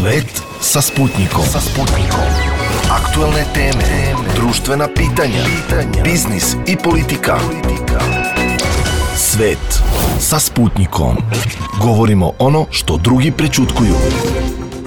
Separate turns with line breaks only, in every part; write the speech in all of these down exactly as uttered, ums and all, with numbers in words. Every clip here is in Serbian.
Svet sa Sputnikom. Sa Sputnikom. Aktuelne teme, društvena pitanja, biznis i politika. Svet sa Sputnikom. Govorimo ono što drugi prećutkuju.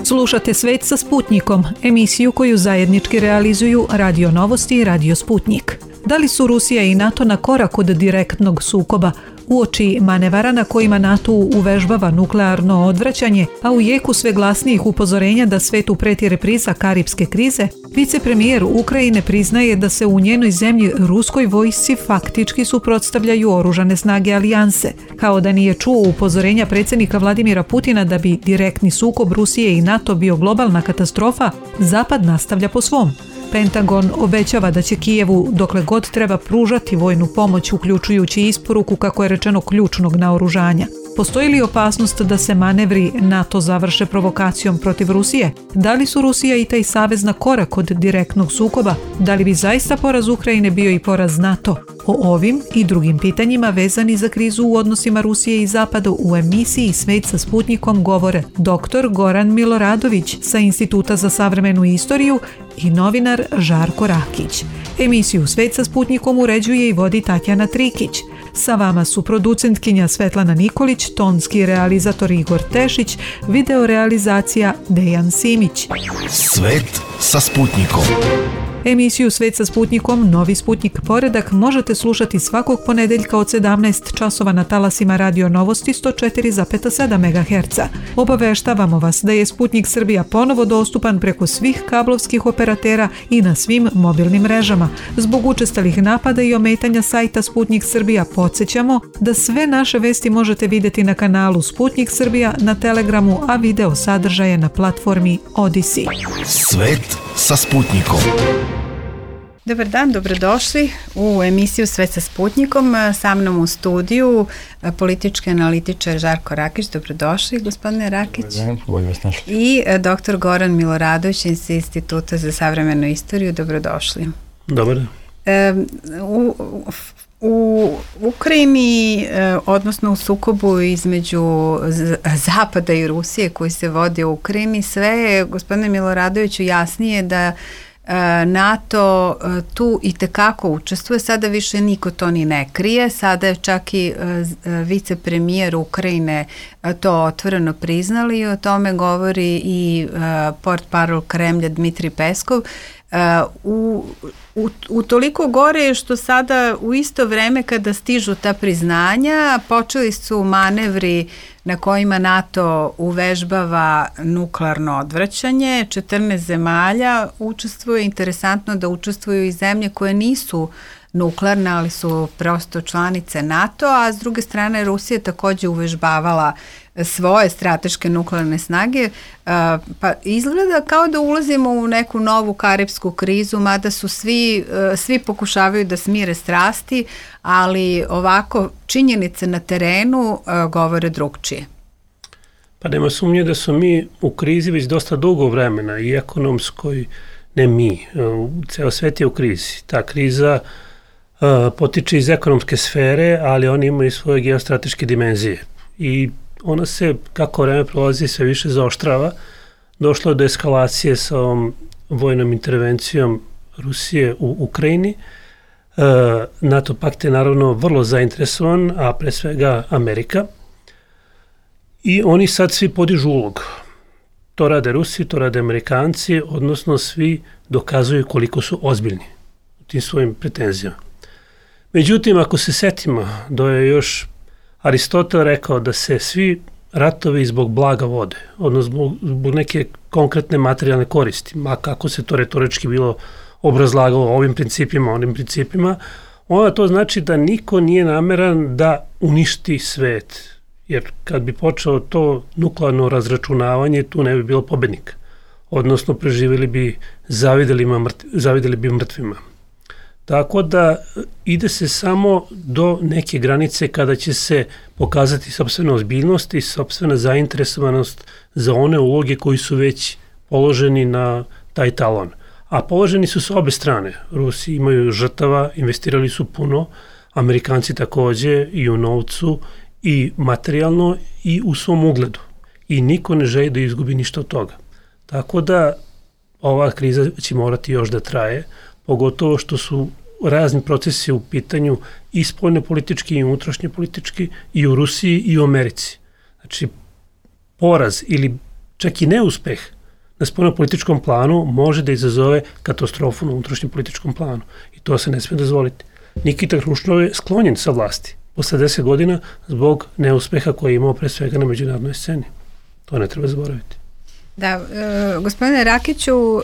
Slušate Svet sa Sputnikom, emisiju koju zajednički realizuju Radio Novosti i Radio Sputnik. Da li su Rusija i NATO na korak od direktnog sukoba? Uoči manevara na kojima NATO uvežbava nuklearno odvraćanje, a u jeku sve glasnijih upozorenja da svetu preti repriza karipske krize, vicepremijer Ukrajine priznaje da se u njenoj zemlji ruskoj vojsci faktički suprotstavljaju oružane snage alijanse. Kao da nije čuo upozorenja predsjednika Vladimira Putina da bi direktni sukob Rusije i NATO bio globalna katastrofa, Zapad nastavlja po svom. Pentagon obećava da će Kijevu dokle god treba pružati vojnu pomoć, uključujući isporuku, kako je rečeno, ključnog naoružanja. Postoji li opasnost da se manevri NATO završe provokacijom protiv Rusije? Da li su Rusija i taj savez na korak od direktnog sukoba? Da li bi zaista poraz Ukrajine bio i poraz NATO? O ovim i drugim pitanjima vezani za krizu u odnosima Rusije i Zapada u emisiji Svet sa Sputnikom govore doktor Goran Miloradović sa Instituta za savremenu istoriju i novinar Žarko Rakić. Emisiju Svet sa Sputnikom uređuje i vodi Tatjana Trikić. Sa vama su producentkinja Svetlana Nikolić, tonski realizator Igor Tešić, videorealizacija Dejan Simić.
Svet sa Sputnikom.
Emisiju Svet sa Sputnikom, Novi Sputnik Poredak, možete slušati svakog ponedeljka od sedamnaest časova na talasima Radio Novosti sto četiri zarez sedam megaherca. Obaveštavamo vas da je Sputnik Srbija ponovo dostupan preko svih kablovskih operatera i na svim mobilnim mrežama. Zbog učestalih napada i ometanja sajta Sputnik Srbija podsjećamo da sve naše vesti možete vidjeti na kanalu Sputnik Srbija na Telegramu, a video sadržaje na platformi Odisi.
Svet sa Sputnikom.
Dobar dan, dobrodošli u emisiju Svet sa Sputnikom. Sa mnom u studiju politički analitičar Žarko Rakić. Dobrodošli, gospodine Rakić.
Dobar dan, bolje vas našli.
I doktor Goran Miloradović iz Instituta za savremenu istoriju. Dobrodošli.
Dobar.
E, u, u Ukrajini, odnosno u sukobu između Zapada i Rusije koji se vodi u Ukrajini, sve je, gospodine Miloradoviću, jasnije da NATO tu i tekako učestvuje. Sada više niko to ni ne krije. Sada je čak i vicepremijer Ukrajine to otvoreno priznali i o tome govori i portparol Kremlja Dmitrij Peskov. U, u, u toliko gore je što sada u isto vreme kada stižu ta priznanja počeli su manevri na kojima NATO uvežbava nuklearno odvraćanje. četrnaest zemalja učestvuje. Interesantno da učestvuju i zemlje koje nisu nuklearne, ali su prosto članice NATO, a s druge strane Rusija također uvežbavala svoje strateške nuklearne snage, pa izgleda kao da ulazimo u neku novu karipsku krizu, mada su svi, svi pokušavaju da smire strasti, ali ovako činjenice na terenu govore drugčije.
Pa nema sumnje da su mi u krizi već dosta dugo vremena, i ekonomskoj, ne mi, ceo svet je u krizi. Ta kriza uh, potiče iz ekonomske sfere, ali oni imaju svoje geostrateške dimenzije i ona se, kako vreme prolazi, sve više zaoštrava. Došlo je do eskalacije sa ovom vojnom intervencijom Rusije u Ukrajini. E, NATO pakt je naravno vrlo zainteresovan, a pre svega Amerika. I oni sad svi podižu ulog. To rade Rusi, to rade Amerikanci, odnosno svi dokazuju koliko su ozbiljni u tim svojim pretenzijama. Međutim, ako se setimo da je još Aristotel rekao da se svi ratovi zbog blaga vode, odnosno zbog, zbog neke konkretne materijalne koristi, ma kako se to retorički bilo obrazlagalo ovim principima, onim principima, onda to znači da niko nije nameran da uništi svet, jer kad bi počelo to nuklearno razračunavanje, tu ne bi bilo pobednika, odnosno preživjeli bi, zavideli, mrtv, zavideli bi mrtvima. Tako da ide se samo do neke granice kada će se pokazati sopstvena ozbiljnost i sopstvena zainteresovanost za one uloge koji su već položeni na taj talon. A položeni su s obe strane. Rusi imaju žrtava, investirali su puno, Amerikanci takođe i u novcu i materijalno i u svom ugledu. I niko ne želi da izgubi ništa od toga. Tako da ova kriza će morati još da traje, pogotovo što su razni procesi u pitanju i spoljno politički i unutrašnje politički i u Rusiji i u Americi. Znači, poraz ili čak i neuspeh na spoljno političkom planu može da izazove katastrofu na unutrašnjem političkom planu. I to se ne smije dozvoliti. Nikita Hruščov je sklonjen sa vlasti posle deset godina zbog neuspeha koji je imao pre svega na međunarodnoj sceni. To ne treba zaboraviti.
Da, e, gospodine Rakiću, e,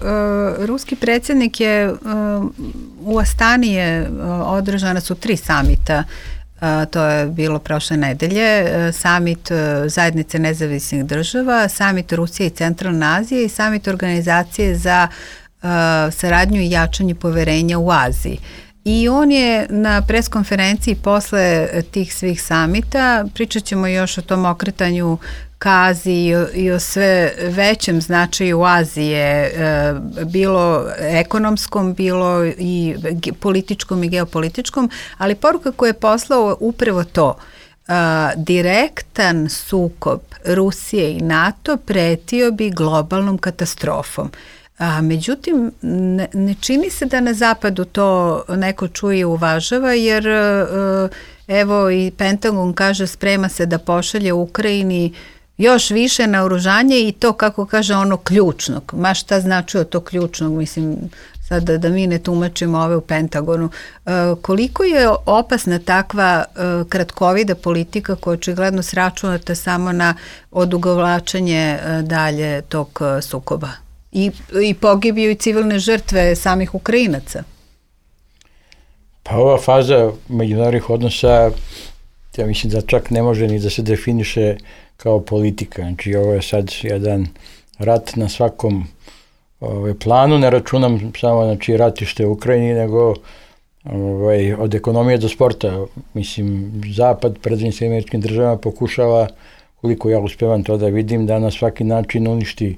ruski predsjednik je e, u Astani je e, održana su tri samita. E, to je bilo prošle nedelje. E, samit e, Zajednice nezavisnih država, samit Rusije i Centralne Azije i samit Organizacije za e, saradnju i jačanje poverenja u Aziji. I on je na preskonferenciji posle tih svih samita, pričat ćemo još o tom okretanju ka Aziji i o, i o sve većem značaju Azije, e, bilo ekonomskom, bilo i političkom i geopolitičkom, ali poruka koju je poslao upravo to, e, direktan sukob Rusije i NATO pretio bi globalnom katastrofom. A, međutim, ne, ne čini se da na zapadu to neko čuje i uvažava, jer e, evo i Pentagon kaže sprema se da pošalje Ukrajini još više naoružanje i to, kako kaže, ono ključnog. Ma šta znači to ključnog, mislim, sad da, da mi ne tumačimo ove u Pentagonu. E, koliko je opasna takva e, kratkovida politika koja očigledno sračunata samo na odugovlačenje e, dalje tog e, sukoba? I, i pogibiju i civilne žrtve samih Ukrajinaca.
Pa ova faza međunarodnih odnosa, ja mislim da čak ne može ni da se definiše kao politika. Znači ovo je sad jedan rat na svakom ovaj, planu, ne računam samo znači, ratište u Ukrajini, nego ovaj, od ekonomije do sporta. Mislim, Zapad pred Sjedinjenim Američkim Državama pokušava, koliko ja uspevam to da vidim, da na svaki način uništi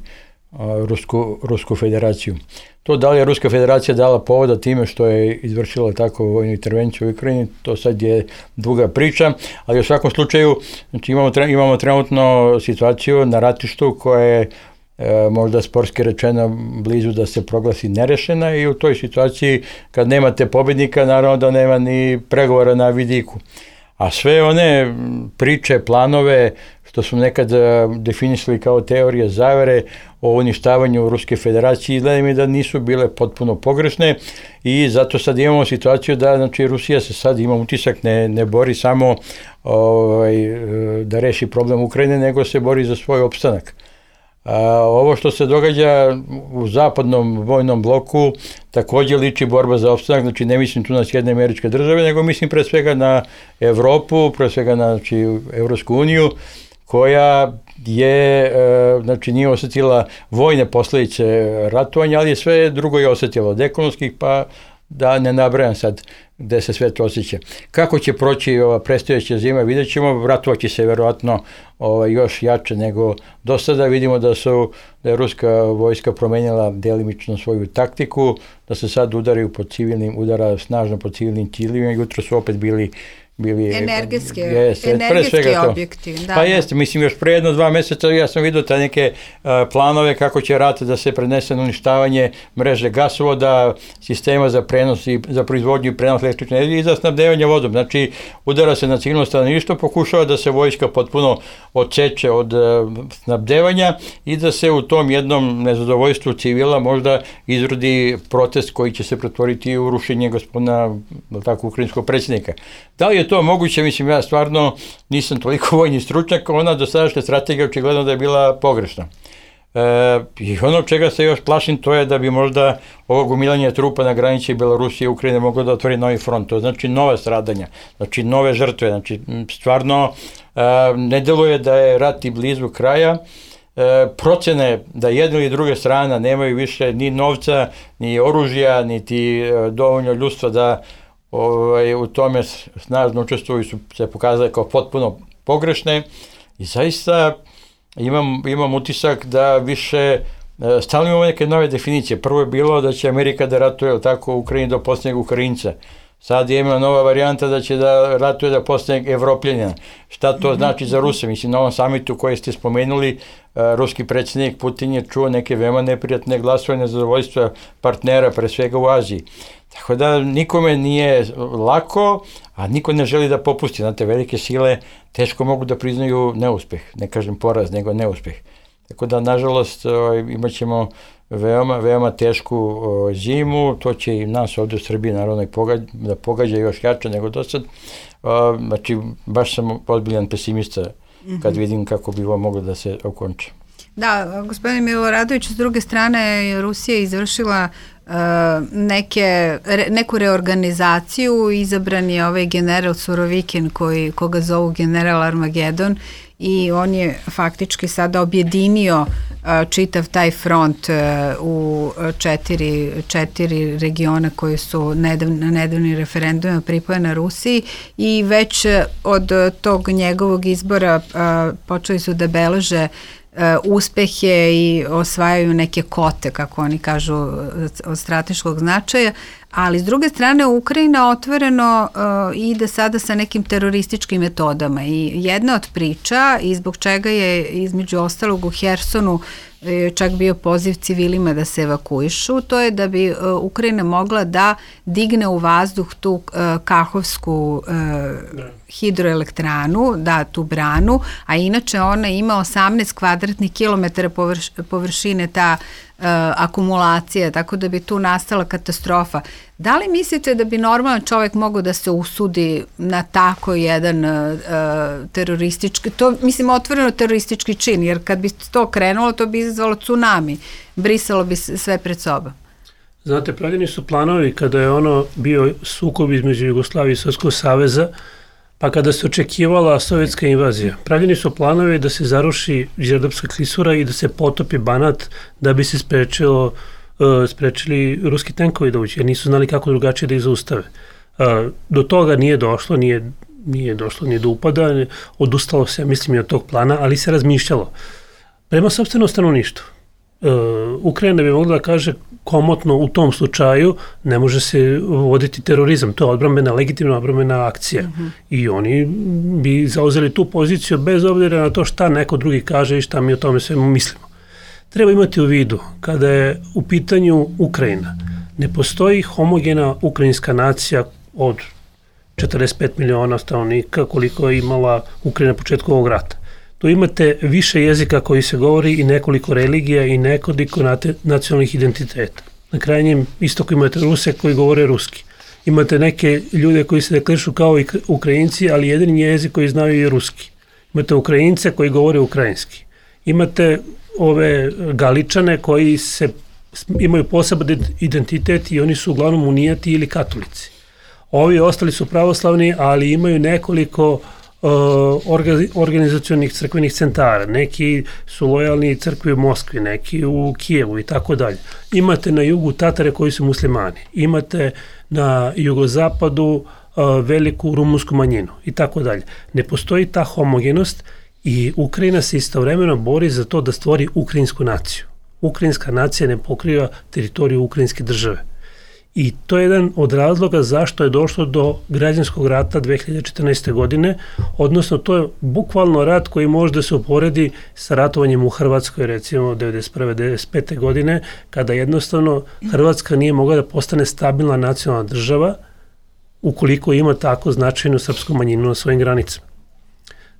Rusku, Rusku federaciju. To da li je Ruska federacija dala povoda time što je izvršila tako vojnu intervenciju u Ukrajini, to sad je druga priča, ali u svakom slučaju znači imamo, imamo trenutno situaciju na ratištu koja je e, možda sportski rečeno blizu da se proglasi nerešena i u toj situaciji kad nemate pobednika, naravno da nema ni pregovora na vidiku. A sve one priče, planove što su nekad definisali kao teorije zavere o uništavanju Ruske federacije, izgleda mi da nisu bile potpuno pogrešne i zato sad imamo situaciju da znači, Rusija se sad, ima utisak, ne, ne bori samo ovaj, da reši problem Ukrajine, nego se bori za svoj opstanak. A, ovo što se događa u zapadnom vojnom bloku također liči borba za opstanak, znači ne mislim tu na Sjedinjene Američke Države, nego mislim pre svega na Evropu, pre svega na znači, Evropsku uniju, koja je, znači nije osjetila vojne posljedice ratovanja, ali sve drugo je osjetilo od ekonomskih, pa da ne nabrajam sad gde se sve to osjeća. Kako će proći ova predstojeća zima, vidjet ćemo, ratovaće se verovatno ovaj, još jače nego do sada. Vidimo da su da je ruska vojska promenila delimično svoju taktiku, da se sad udaraju po civilnim, udara snažno po civilnim ciljevima, jutro su opet bili bili
energetski,
jest,
energetski objekti. Da,
pa
da.
jeste, mislim još pre jedno dva meseca ja sam vidio ta neke uh, planove kako će rat da se prenese na uništavanje mreže gasovoda, sistema za prenos i za proizvodnju i prenos električne energije i za snabdevanje vodom. Znači udara se na civilno stanovništvo, pokušava da se vojska potpuno odseče od uh, snabdevanja i da se u tom jednom nezadovoljstvu civila možda izrodi protest koji će se pretvoriti u rušenje gospodina tako ukrajinskog predsjednika. Da li je to moguće? Mislim, ja stvarno nisam toliko vojni stručnjak, ona dosadašnja strategija očigledno da je bila pogrešna. E, I ono čega se još plašim, to je da bi možda ovo gomilanje trupa na granici Belorusije i Ukrajine moglo da otvori novi front, to znači nove stradanja, znači nove žrtve, znači stvarno e, ne deluje da je rat i blizu kraja. E, procene da jedna ili druga strana nemaju više ni novca, ni oružja, niti e, dovoljno ljudstva da Ovaj, u tome snažno učestvuju su se pokazale kao potpuno pogrešne i zaista imam, imam utisak da više stalno imamo neke nove definicije. Prvo je bilo da će Amerika da ratuje tako u Ukrajini do posljednjeg Ukrajinca. Sad je ima nova varijanta da će da ratuje da postane Evropljanina. Šta to znači za Ruse? Mislim, na ovom samitu koji ste spomenuli, ruski predsjednik Putin je čuo neke veoma neprijatne glasove nezadovoljstva partnera, pre svega u Aziji. Tako da nikome nije lako, a niko ne želi da popusti. Znate, velike sile teško mogu da priznaju neuspeh, ne kažem poraz, nego neuspeh. Tako da, nažalost, imat ćemo veoma, veoma tešku zimu, to će i nas ovdje u Srbiji naravno da pogađa još jače nego do sad. Znači, baš sam ozbiljan pesimista kad vidim kako bi ovo moglo da se okonča.
Da, gospodine Miloradović, s druge strane Rusija je izvršila uh, neke, re, neku reorganizaciju, izabran je ovaj general Surovikin koji, koga zovu general Armagedon i on je faktički sada objedinio uh, čitav taj front uh, u četiri, četiri regiona koji su nedav, na nedavnim referendumima pripojene Rusiji i već od tog njegovog izbora uh, počeli su da beleže Uh, uspehe i osvajaju neke kote, kako oni kažu, od strateškog značaja, ali s druge strane Ukrajina otvoreno uh, ide sada sa nekim terorističkim metodama i jedna od priča i zbog čega je između ostalog u Hersonu čak bio poziv civilima da se evakuišu, to je da bi uh, Ukrajina mogla da digne u vazduh tu uh, Kahovsku uh, hidroelektranu, da, tu branu, a inače ona ima osamnaest kvadratnih kilometara površ, površine ta uh, akumulacija, tako da bi tu nastala katastrofa. Da li mislite da bi normalan čovjek mogao da se usudi na tako jedan uh, teroristički, to mislim otvoreno teroristički čin, jer kad bi to krenulo, to bi izazvalo tsunami, brisalo bi sve pred sobom.
Znate, pravljeni su planovi kada je ono bio sukob između Jugoslavije i Sovjetskog saveza, pa kada se očekivala sovjetska invazija. Pravljeni su planovi da se zaruši Đerdapska klisura i da se potopi Banat da bi se sprečilo, uh, sprečili ruski tenkovi da uđe, jer nisu znali kako drugačije da ih zaustave. Uh, do toga nije došlo, nije, nije došlo ni do upada, odustalo se, mislim, i od tog plana, ali se razmišljalo. Prema sopstvenom stanovništvu, uh, Ukrajina bi mogla da kaže komotno u tom slučaju ne može se voditi terorizam, to je odbrambena, legitimna odbrambena akcija. Mm-hmm. I oni bi zauzeli tu poziciju bez obzira na to šta neko drugi kaže i šta mi o tome svemu mislimo. Treba imati u vidu, kada je u pitanju Ukrajina, ne postoji homogena ukrajinska nacija od četrdeset pet miliona stanovnika koliko je imala Ukrajina na početku ovog rata. Tu imate više jezika koji se govori i nekoliko religija i nekoliko nacionalnih identiteta. Na krajnjem istoku imate Ruse koji govore ruski. Imate neke ljude koji se deklarišu kao i Ukrajinci, ali jedini jezik koji znaju je ruski. Imate Ukrajince koji govore ukrajinski. Imate ove Galičane koji se imaju poseban identitet i oni su uglavnom unijati ili katolici. Ovi ostali su pravoslavni, ali imaju nekoliko organizacionih crkvenih centara, neki su lojalni crkvi u Moskvi, neki u Kijevu i tako dalje. Imate na jugu Tatare koji su muslimani, imate na jugozapadu veliku rumunsku manjinu i tako dalje. Ne postoji ta homogenost i Ukrajina se istovremeno bori za to da stvori ukrajinsku naciju. Ukrajinska nacija ne pokriva teritoriju ukrajinske države. I to je jedan od razloga zašto je došlo do građanskog rata dve hiljade četrnaeste. godine, odnosno to je bukvalno rat koji može da se uporedi sa ratovanjem u Hrvatskoj, recimo devedeset prve devedeset pete. godine, kada jednostavno Hrvatska nije mogla da postane stabilna nacionalna država ukoliko ima tako značajnu srpsku manjinu na svojim granicama.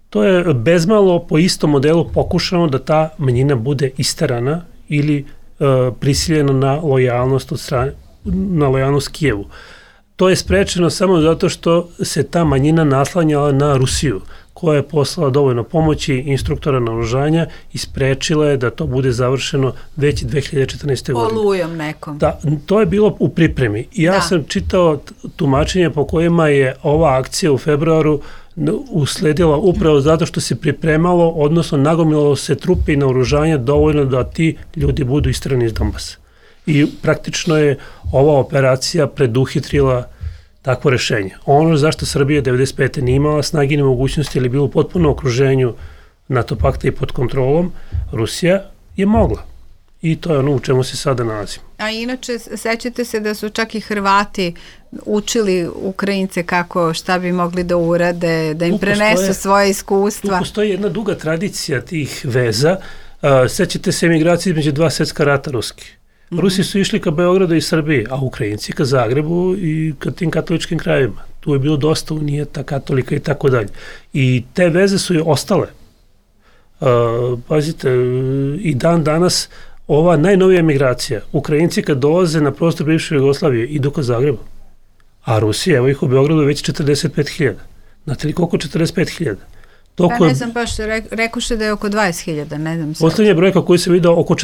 To je bezmalo po istom modelu pokušano da ta manjina bude isterana ili e, prisiljena na lojalnost od strane na lojalnost Kijevu. To je sprečeno samo zato što se ta manjina naslanjala na Rusiju, koja je poslala dovoljno pomoći, instruktora naoružanja i sprečila je da to bude završeno već dve hiljade četrnaeste. godine.
Olujom nekom.
Da, to je bilo u pripremi. Ja da. sam čitao tumačenje po kojima je ova akcija u februaru usledila upravo zato što se pripremalo, odnosno nagomilalo se trupe i naoružanja dovoljno da ti ljudi budu isterani iz Donbasa. I praktično je ova operacija preduhitrila takvo rešenje. Ono zašto Srbija devedeset pete nije imala snage ni mogućnosti ili bilo u potpunom okruženju NATO pakta i pod kontrolom, Rusija je mogla. i to je ono u čemu se sada nalazimo.
A inače, sećate se da su čak i Hrvati učili Ukrajince kako, šta bi mogli da urade, da im tu prenesu postoje, svoje iskustva.
Tu postoji jedna duga tradicija tih veza. Uh, sećate se emigracije između dva svjetska rata ruski. Mm-hmm. Rusi su išli ka Beogradu i Srbiji, a Ukrajinci ka Zagrebu i ka tim katoličkim krajevima. Tu je bilo dosta unijeta, katolika i tako dalje. I te veze su je ostale. Uh, pazite, i dan danas ova najnovija emigracija, Ukrajinci kad dolaze na prostor bivše Jugoslavije idu ka Zagrebu, a Rusija, evo ih u Beogradu već četrdeset pet hiljada. Znate li koliko četrdeset pet hiljada?
Pa ne znam baš, re, rekuše da je oko dvadeset hiljada, ne znam sve.
Poslednja brojka koju se vidio oko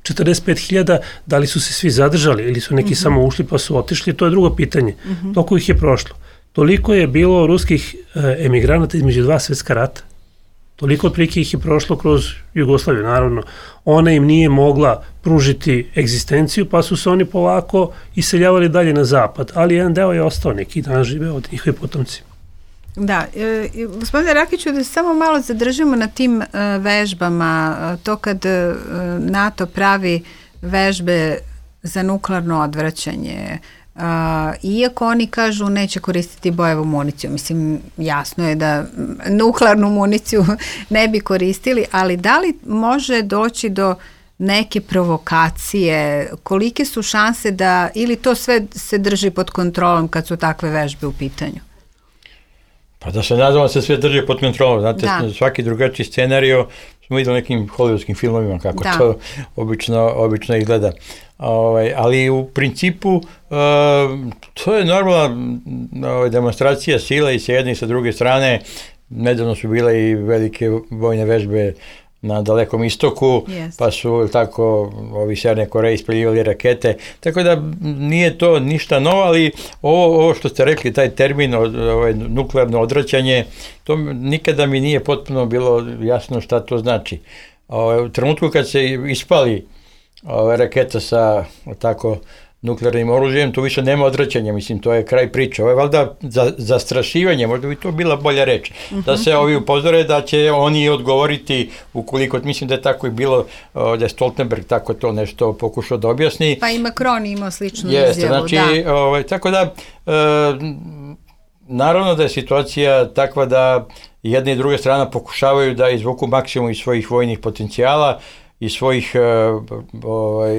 četrdeset pet hiljada, da li su se svi zadržali ili su neki mm-hmm. samo ušli pa su otišli, to je drugo pitanje. Mm-hmm. Toliko ih je prošlo. Toliko je bilo ruskih e, emigranata između dva svjetska rata. Toliko otprilike ih je prošlo kroz Jugoslaviju, naravno. Ona im nije mogla pružiti egzistenciju, pa su se oni polako iseljavali dalje na zapad, ali jedan deo je ostao, neki dan žive od njihovi potomci.
Da, e, gospodine Rakiću, da se samo malo zadržimo na tim e, vežbama, to kad e, NATO pravi vežbe za nuklearno odvraćanje, Uh, iako oni kažu neće koristiti bojevu municiju, mislim jasno je da nuklearnu municiju ne bi koristili, ali da li može doći do neke provokacije, kolike su šanse da, ili to sve se drži pod kontrolom kad su takve vežbe u pitanju?
Pa da se nadamo se sve drži pod kontrolom, znate, da. Svaki drugačiji scenario smo vidjeli nekim hollywoodskim filmovima kako da. to obično, obično izgleda. Ovaj, ali u principu uh, to je normalna uh, demonstracija sila i sa jedne i sa druge strane. Nedavno su bile i velike vojne vežbe na Dalekom istoku, yes. pa su tako ovi Sjeverne Koreje ispaljivali rakete, tako da nije to ništa novo, ali ovo, ovo što ste rekli, taj termin ovaj, nuklearno odvraćanje, to nikada mi nije potpuno bilo jasno šta to znači. Ovaj, u trenutku kad se ispali ovaj, raketa sa tako nuklearnim oružjem, tu više nema odvraćanja, mislim, to je kraj priče. Ovo je valjda za, zastrašivanje, možda bi to bila bolja reč, uh-huh. da se ovi upozore da će oni odgovoriti ukoliko, mislim da je tako i bilo, da je Stoltenberg tako to nešto pokušao da objasni.
Pa i Macron imao sličnu
Jeste,
izjavu,
znači,
da.
Ovaj, tako da, e, naravno da je situacija takva da jedna i druga strana pokušavaju da izvuku maksimum iz svojih vojnih potencijala, i svojih ovaj,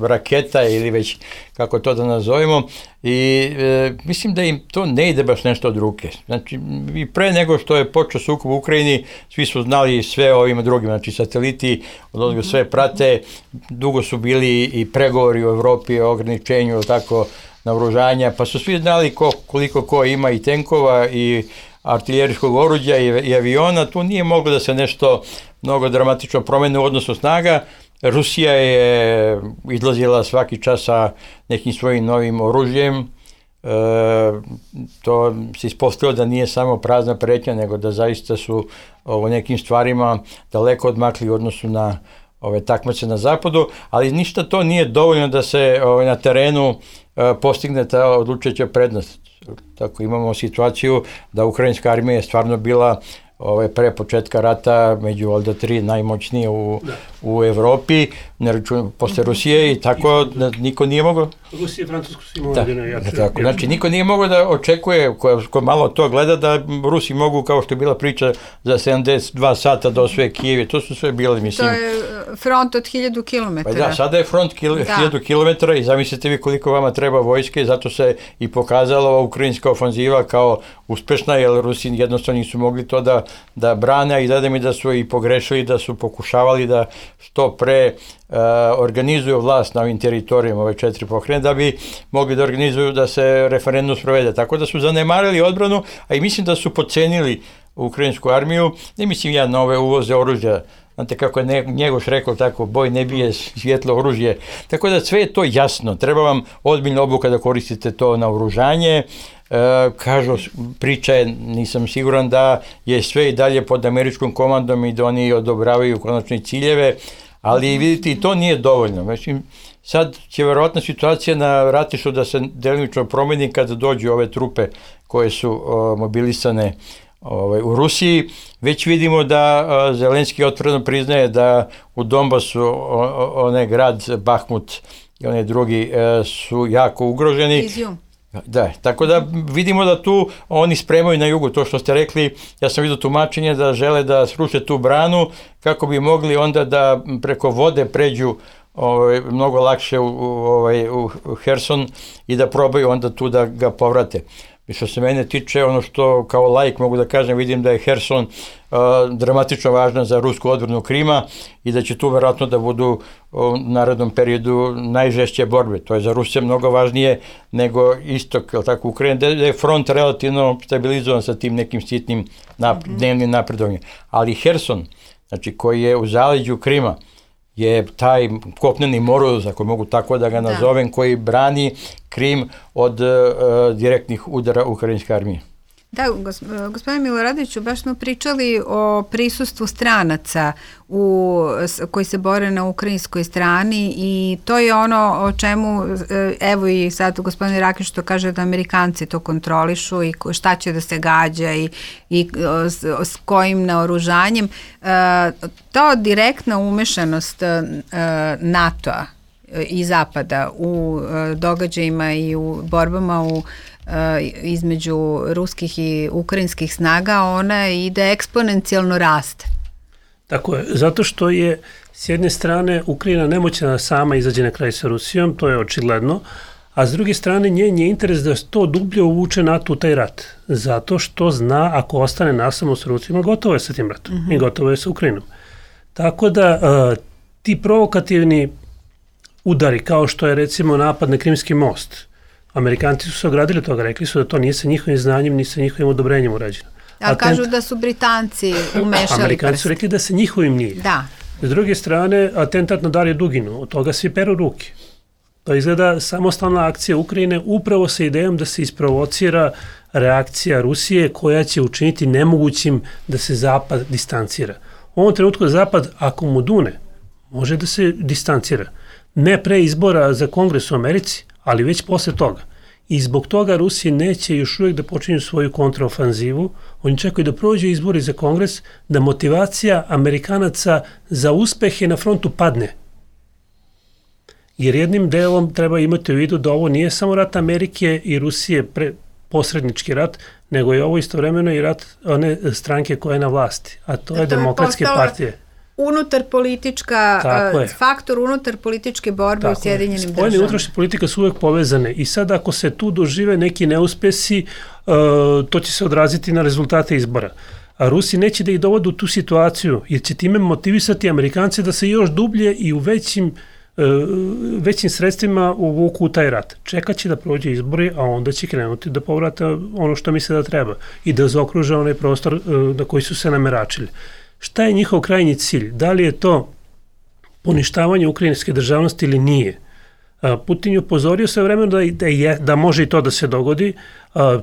raketa ili već kako to da nazovemo i e, mislim da im to ne ide baš nešto od ruke. Znači i pre nego što je počeo sukob u Ukrajini, svi su znali sve o ovim drugim, znači sateliti od sve prate, dugo su bili i pregovori u Evropi o ograničenju tako naoružanja, pa su svi znali ko, koliko ko ima i tenkova i artiljerijskog oruđa i, i aviona, tu nije moglo da se nešto mnogo dramatično promene u odnosu snaga. Rusija je izlazila svaki čas sa nekim svojim novim oružjem. E, to se ispostavilo da nije samo prazna pretnja, nego da zaista su u nekim stvarima daleko odmakli u odnosu na ove takmice na zapadu, ali ništa to nije dovoljno da se ove, na terenu e, postigne ta odlučujuća prednost. Tako imamo situaciju da ukrajinska armija je stvarno bila ove, pre početka rata među valjda tri najmoćnije u, u Evropi, ne računam posle Rusije i tako da niko nije mogao...
Rusija i Francusko su imali jedino jače.
Tako, znači niko nije mogao da očekuje, ko, ko malo to gleda, da Rusi mogu, kao što je bila priča, za sedamdeset dva sata da osvoje Kijev, to su sve bile, mislim...
To je front od hiljadu kilometara.
Pa da, sada je front kil, da. hiljadu kilometara i zamislite vi koliko vama treba vojske, zato se i pokazala ova ukrajinska ofanziva kao uspešna, jer Rusi jednostavno nisu mogli to da, da brane i da mi da su i pogrešili, da su pokušavali da što pre uh, organizuju vlast na ovim teritorijama, ove četiri pokrajine, da bi mogli da organizuju da se referendum sprovede. Tako da su zanemarili odbranu, a i mislim da su podcenili ukrajinsku armiju. Ne mislim ja na ove uvoze oružja, znate kako je Njegoš rekao tako, boj ne bije svjetlo oružje. Tako da sve je to jasno. Treba vam ozbiljna obuka da koristite to na oružanje. E, kažu, priča je, nisam siguran da je sve i dalje pod američkom komandom i da oni odobravaju konačne ciljeve, ali vidite i to nije dovoljno. Mislim, sad će verovatna situacija na ratištu da se delimično promeni kada dođu ove trupe koje su o, mobilisane ovaj, u Rusiji. Već vidimo da uh, Zelenski otvoreno priznaje da u Donbasu onaj grad Bahmut i onaj drugi uh, su jako ugroženi.
Izjum.
Da, tako da vidimo da tu oni spremaju na jugu, to što ste rekli, ja sam vidio tumačenje da žele da sruše tu branu kako bi mogli onda da preko vode pređu ovaj, mnogo lakše u, u, ovaj, u Herson i da probaju onda tu da ga povrate. I što se mene tiče, ono što kao laik mogu da kažem, vidim da je Herson uh, dramatično važna za rusku odbranu Krima i da će tu verovatno da budu u narednom periodu najžešće borbe. To je za Rusije mnogo važnije nego istok, tako, Ukrajina, da je front relativno stabilizovan sa tim nekim sitnim nap- mm-hmm. dnevnim napredovanjem. Ali Herson, znači koji je u zaleđu Krima, je taj kopneni moruz, ako mogu tako da ga nazovem, da. koji brani Krim od uh, direktnih udara ukrajinske armije.
Da, gospodine Miloradoviću, baš smo pričali o prisustvu stranaca u, koji se bore na ukrajinskoj strani i to je ono o čemu, evo i sad gospodin Rakić to kaže da Amerikanci to kontrolišu i šta će da se gađa i, i s, s kojim naoružanjem. To direktna umešanost NATO-a i Zapada u događajima i u borbama u između ruskih i ukrajinskih snaga, ona ide eksponencijalno raste.
Tako je, zato što je s jedne strane Ukrajina nemoćna sama izađe na kraj sa Rusijom, to je očigledno, a s druge strane njen je interes da to dublje uvuče NATO u taj rat, zato što zna ako ostane nasamo s Rusijima, gotovo je sa tim ratom mm-hmm. i gotovo je sa Ukrajinom. Tako da uh, ti provokativni udari, kao što je recimo napad na Krimski most, Amerikanci su se ogradili toga, rekli su da to nije sa njihovim znanjem, ni sa njihovim odobrenjem urađeno.
A Atent... kažu da su Britanci umešali
Amerikanci
prst.
su rekli da se njihovim nije.
Da.
S druge strane, atentat na Dariju Duginu, od toga svi peru ruke. To izgleda samostalna akcija Ukrajine upravo sa idejom da se isprovocira reakcija Rusije koja će učiniti nemogućim da se Zapad distancira. U ovom trenutku Zapad, ako mu dune, može da se distancira. Ne pre izbora za Kongres u Americi, ali već posle toga. I zbog toga Rusiji neće još uvijek da počinju svoju kontraofanzivu. Oni čekaju da prođu izbori za Kongres, da motivacija Amerikanaca za uspehe na frontu padne. Jer jednim delom treba imati u vidu da ovo nije samo rat Amerike i Rusije, pre, posrednički rat, nego je ovo istovremeno i rat one stranke koja je na vlasti, a to je Demokratske partije.
Unutar politička, uh, faktor unutar političke borbe tako u Sjedinjenim državama.
Spoljne i unutrašnje politike su uvek povezane i sad ako se tu dožive neki neuspesi, uh, to će se odraziti na rezultate izbora. A Rusi neće da ih dovode u tu situaciju, jer će time motivisati Amerikance da se još dublje i u većim, uh, većim sredstvima uvuku u taj rat. Čekat će da prođe izbori, a onda će krenuti da povrata ono što misle da treba i da zaokruže onaj prostor uh, na koji su se nameračili. Šta je njihov krajnji cilj? Da li je to poništavanje ukrajinske državnosti ili nije? Putin je upozorio sve vremena da, da, je, da može i to da se dogodi.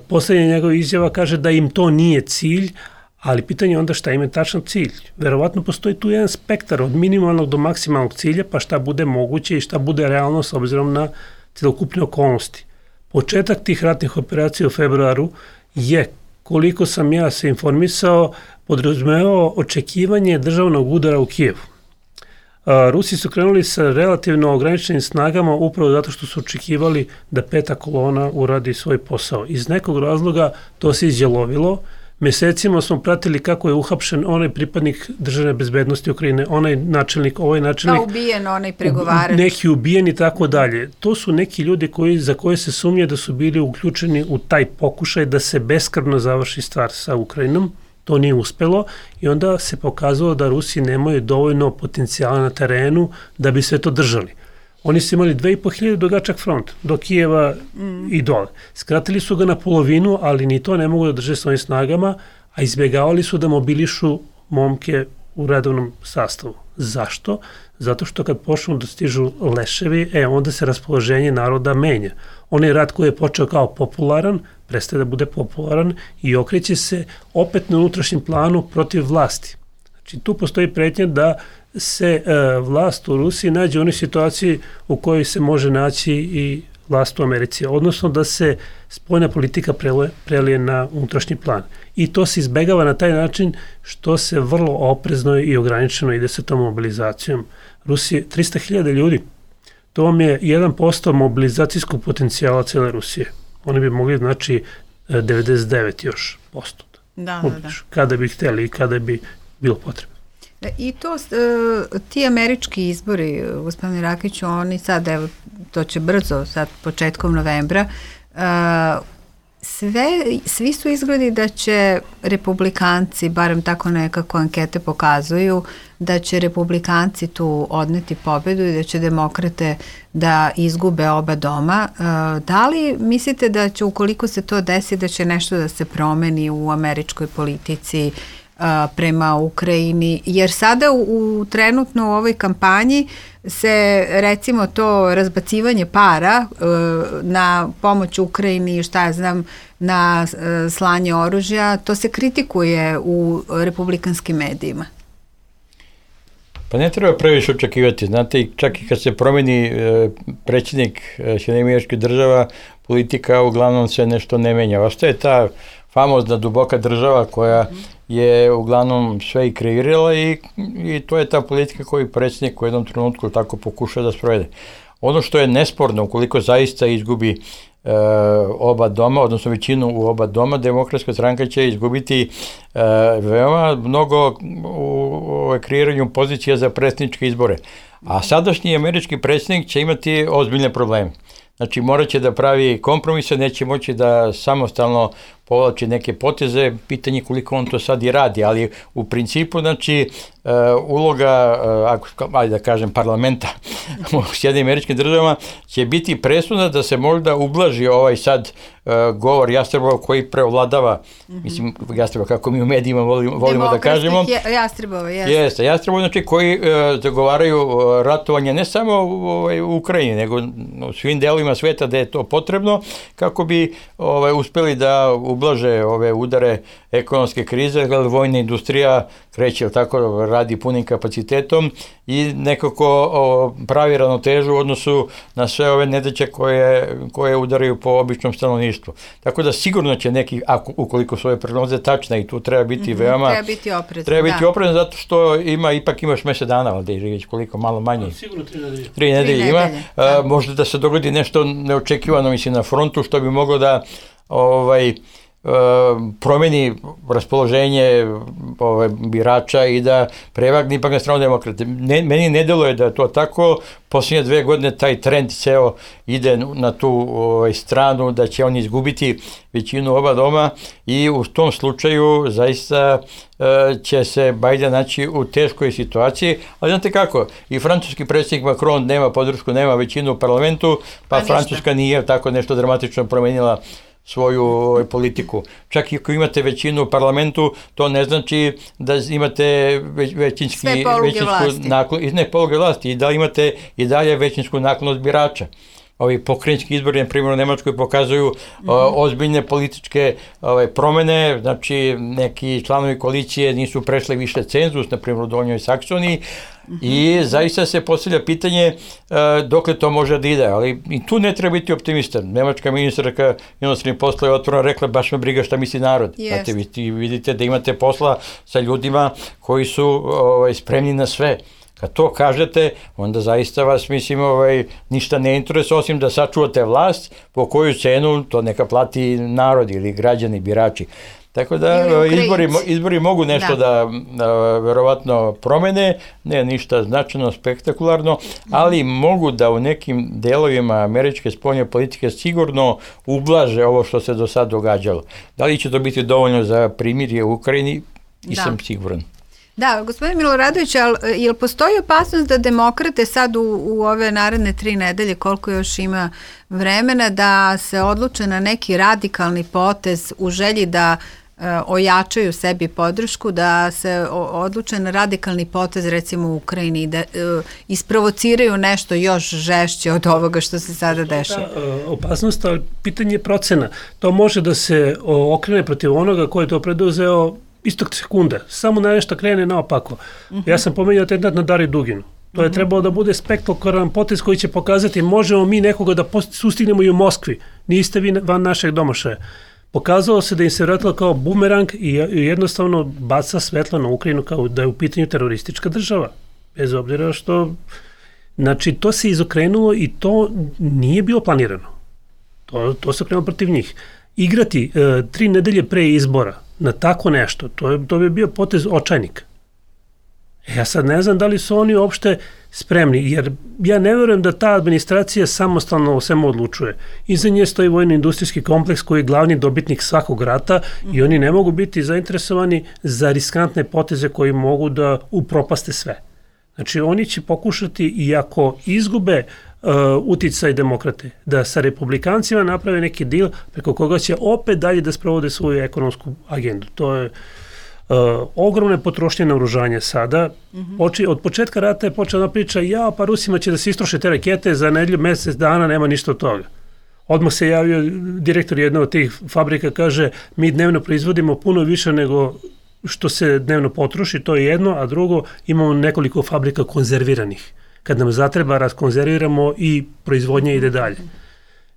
Poslednja njegova izjava kaže da im to nije cilj, ali pitanje je onda šta im je tačan cilj. Verovatno postoji tu jedan spektar od minimalnog do maksimalnog cilja, pa šta bude moguće i šta bude realno s obzirom na celokupne okolnosti. Početak tih ratnih operacija u februaru je, koliko sam ja se informisao, podrazumevao očekivanje državnog udara u Kijevu. Rusi su krenuli sa relativno ograničenim snagama upravo zato što su očekivali da peta kolona uradi svoj posao. Iz nekog razloga to se izjelovilo. Mesecima smo pratili kako je uhapšen onaj pripadnik državne bezbednosti Ukrajine, onaj načelnik, ovaj načelnik.
Pa ubijen, onaj pregovarač.
Neki ubijen i tako dalje. To su neki ljudi koji, za koje se sumnje da su bili uključeni u taj pokušaj da se beskrvno završi stvar sa Ukrajinom. To nije uspelo i onda se pokazalo da Rusi nemaju dovoljno potencijala na terenu da bi sve to držali. Oni su imali dve i po hiljade dugačak front do Kijeva mm. i dole. Skratili su ga na polovinu, ali ni to ne mogu da drže svojim snagama, a izbjegavali su da mobilišu momke u redovnom sastavu. Zašto? Zato što kad počnu da stižu leševi, e, onda se raspoloženje naroda menja. Onaj rat koji je počeo kao popularan, prestaje da bude popularan i okreće se opet na unutrašnjem planu protiv vlasti. Znači, tu postoji pretnja da se e, vlast u Rusiji nađe u onoj situaciji u kojoj se može naći i vlast u Americi, odnosno da se spoljna politika prelije na unutrašnji plan. I to se izbegava na taj način što se vrlo oprezno i ograničeno ide sa tom mobilizacijom Rusije. trista hiljada ljudi, to vam je jedan posto mobilizacijskog potencijala cele Rusije. Oni bi mogli, znači, devedeset devet još posto.
Da, da, da.
Kada bi hteli i kada bi bilo potrebno.
I to, ti američki izbori, gospodine Rakiću, oni sad, evo, to će brzo, sad početkom novembra, sve, svi su izgledi da će republikanci, barem tako nekako ankete pokazuju, da će republikanci tu odneti pobedu i da će demokrate da izgube oba doma. Da li mislite da će, ukoliko se to desi, da će nešto da se promeni u američkoj politici prema Ukrajini, jer sada u, u trenutno u ovoj kampanji se recimo to razbacivanje para e, na pomoć Ukrajini, šta ja znam, na e, slanje oružja, to se kritikuje u republikanskim medijima.
Pa ne treba previše očekivati, znate, čak i kad se promeni e, predsjednik Sjedinjenih Američkih Država, politika uglavnom se nešto ne menja. Ostaje ta famozna duboka država koja je uglavnom sve i kreirala i, i to je ta politika koju predsjednik u jednom trenutku tako pokuša da sprovede. Ono što je nesporno, ukoliko zaista izgubi e, oba doma, odnosno većinu u oba doma, Demokratska stranka će izgubiti e, veoma mnogo u, u kreiranju pozicija za predsjedničke izbore. A sadašnji američki predsjednik će imati ozbiljne probleme. Znači, morat će da pravi kompromise, neće moći da samostalno povlači neke poteze, pitanje koliko on to sad i radi, ali u principu, znači, uh, uloga, uh, ako, ajde da kažem, parlamenta u Sjedinjenim Američkim Državama će biti presudna da se možda ublaži ovaj sad uh, govor Jastrebova koji preovladava, mm-hmm. mislim, Jastrebova, kako mi u medijima volimo, volimo da kažemo.
Jastrebova, jeste.
Jeste, Jastrebova, znači, koji uh, zagovaraju uh, ratovanje ne samo u, ovaj, u Ukrajini, nego u svim delovima sveta da je to potrebno, kako bi ovaj, uspeli da ublaže ove udare ekonomske krize, jer vojna industrija kreće, tako, radi punim kapacitetom i nekako o, pravi ravnotežu u odnosu na sve ove nedaće koje, koje udaraju po običnom stanovništvu. Tako da sigurno će neki, ako, ukoliko su ove prognoze tačne, i tu treba biti mm-hmm, veoma...
Treba biti oprezan.
Treba biti da. oprezan zato što ima, ipak imaš mesec dana, ali da je već koliko, malo manje. No,
sigurno tri nedelje.
Tri nedelje ima. Da. A, možda da se dogodi nešto neočekivano, mislim, na frontu, što bi moglo da ovaj, promeni raspoloženje ove, birača i da prevagni ipak na stranu demokrate. Ne, meni ne deluje da je to tako. Posljednje dve godine taj trend ceo ide na tu ovaj, stranu da će oni izgubiti većinu oba doma i u tom slučaju zaista e, će se Biden naći u teškoj situaciji, ali znate kako, i francuski predsjednik Macron nema podršku, nema većinu u parlamentu, pa, pa Francuska nije tako nešto dramatično promenila svoju ovaj, politiku. Čak i ako imate većinu u parlamentu, to ne znači da imate već, većinski, većinsku naklonost, ne poluge vlasti, i da imate i dalje većinsku naklonost birača. Ovi pokrajinski izbori, na primjer u Nemačkoj, pokazuju mm-hmm. o, ozbiljne političke ove, promene, znači neki članovi koalicije nisu prešli više cenzus, na primjer u Donjoj Saksoniji, mm-hmm. i zaista se postavlja pitanje e, dokle to može da ide, ali i tu ne treba biti optimista. Nemačka ministarka inostranih poslova je otvoreno rekla, baš me briga šta misli narod. Yes. Znate, vi vidite da imate posla sa ljudima koji su ovaj, spremni na sve. Kad to kažete, onda zaista vas, mislim, ovaj, ništa ne interesuje, osim da sačuvate vlast, po koju cenu to neka plati narod ili građani, birači. Tako da izbori, izbori mogu nešto da, da, da verovatno promene, ne ništa značajno, spektakularno, ali mogu da u nekim delovima američke spoljne politike sigurno ublaže ovo što se do sad događalo. Da li će to biti dovoljno za primirje u Ukrajini? Nisam da. siguran.
Da, gospodin Miloradović, ali je li postoji opasnost da demokrate sad u, u ove naredne tri nedelje, koliko još ima vremena, da se odluče na neki radikalni potez u želji da e, ojačaju sebi podršku, da se odluče na radikalni potez recimo u Ukrajini, da e, isprovociraju nešto još žešće od ovoga što se sada dešava?
Da, opasnost, ali pitanje je procena. To može da se okrene protiv onoga koji je to preduzeo istog sekunda, samo na nešto krene naopako. Uh-huh. Ja sam pomenuo atentat na Dariju Duginu. To je trebalo da bude spektakularan potez koji će pokazati možemo mi nekoga da sustignemo i u Moskvi. Niste vi van našeg domašaja. Pokazalo se da im se vratilo kao bumerang i jednostavno baca svetlo na Ukrajinu kao da je u pitanju teroristička država. Bez obzira što... Znači, to se izokrenulo i to nije bilo planirano. To, to se okrenulo protiv njih. Igrati e, tri nedelje pre izbora na tako nešto, to, je, to bi bio potez očajnika. Ja sad ne znam da li su oni uopšte spremni, jer ja ne verujem da ta administracija samostalno o svemu odlučuje. Iza nje stoji vojno-industrijski kompleks koji je glavni dobitnik svakog rata i oni ne mogu biti zainteresovani za riskantne poteze koji mogu da upropaste sve. Znači, oni će pokušati, i ako izgube uh, uticaj demokrate, da sa republikancima naprave neki dil preko koga će opet dalje da sprovode svoju ekonomsku agendu. To je Uh, ogromne potrošnje naoružanja sada. Mm-hmm. Poči, od početka rata je počela priča, ja, pa Rusima će da se istroše te rakete, za nedelju, mesec dana nema ništa od toga. Odmah se javio direktor jedne od tih fabrika, kaže, mi dnevno proizvodimo puno više nego što se dnevno potroši, to je jedno, a drugo, imamo nekoliko fabrika konzerviranih. Kad nam zatreba, raskonzerviramo i proizvodnja ide dalje.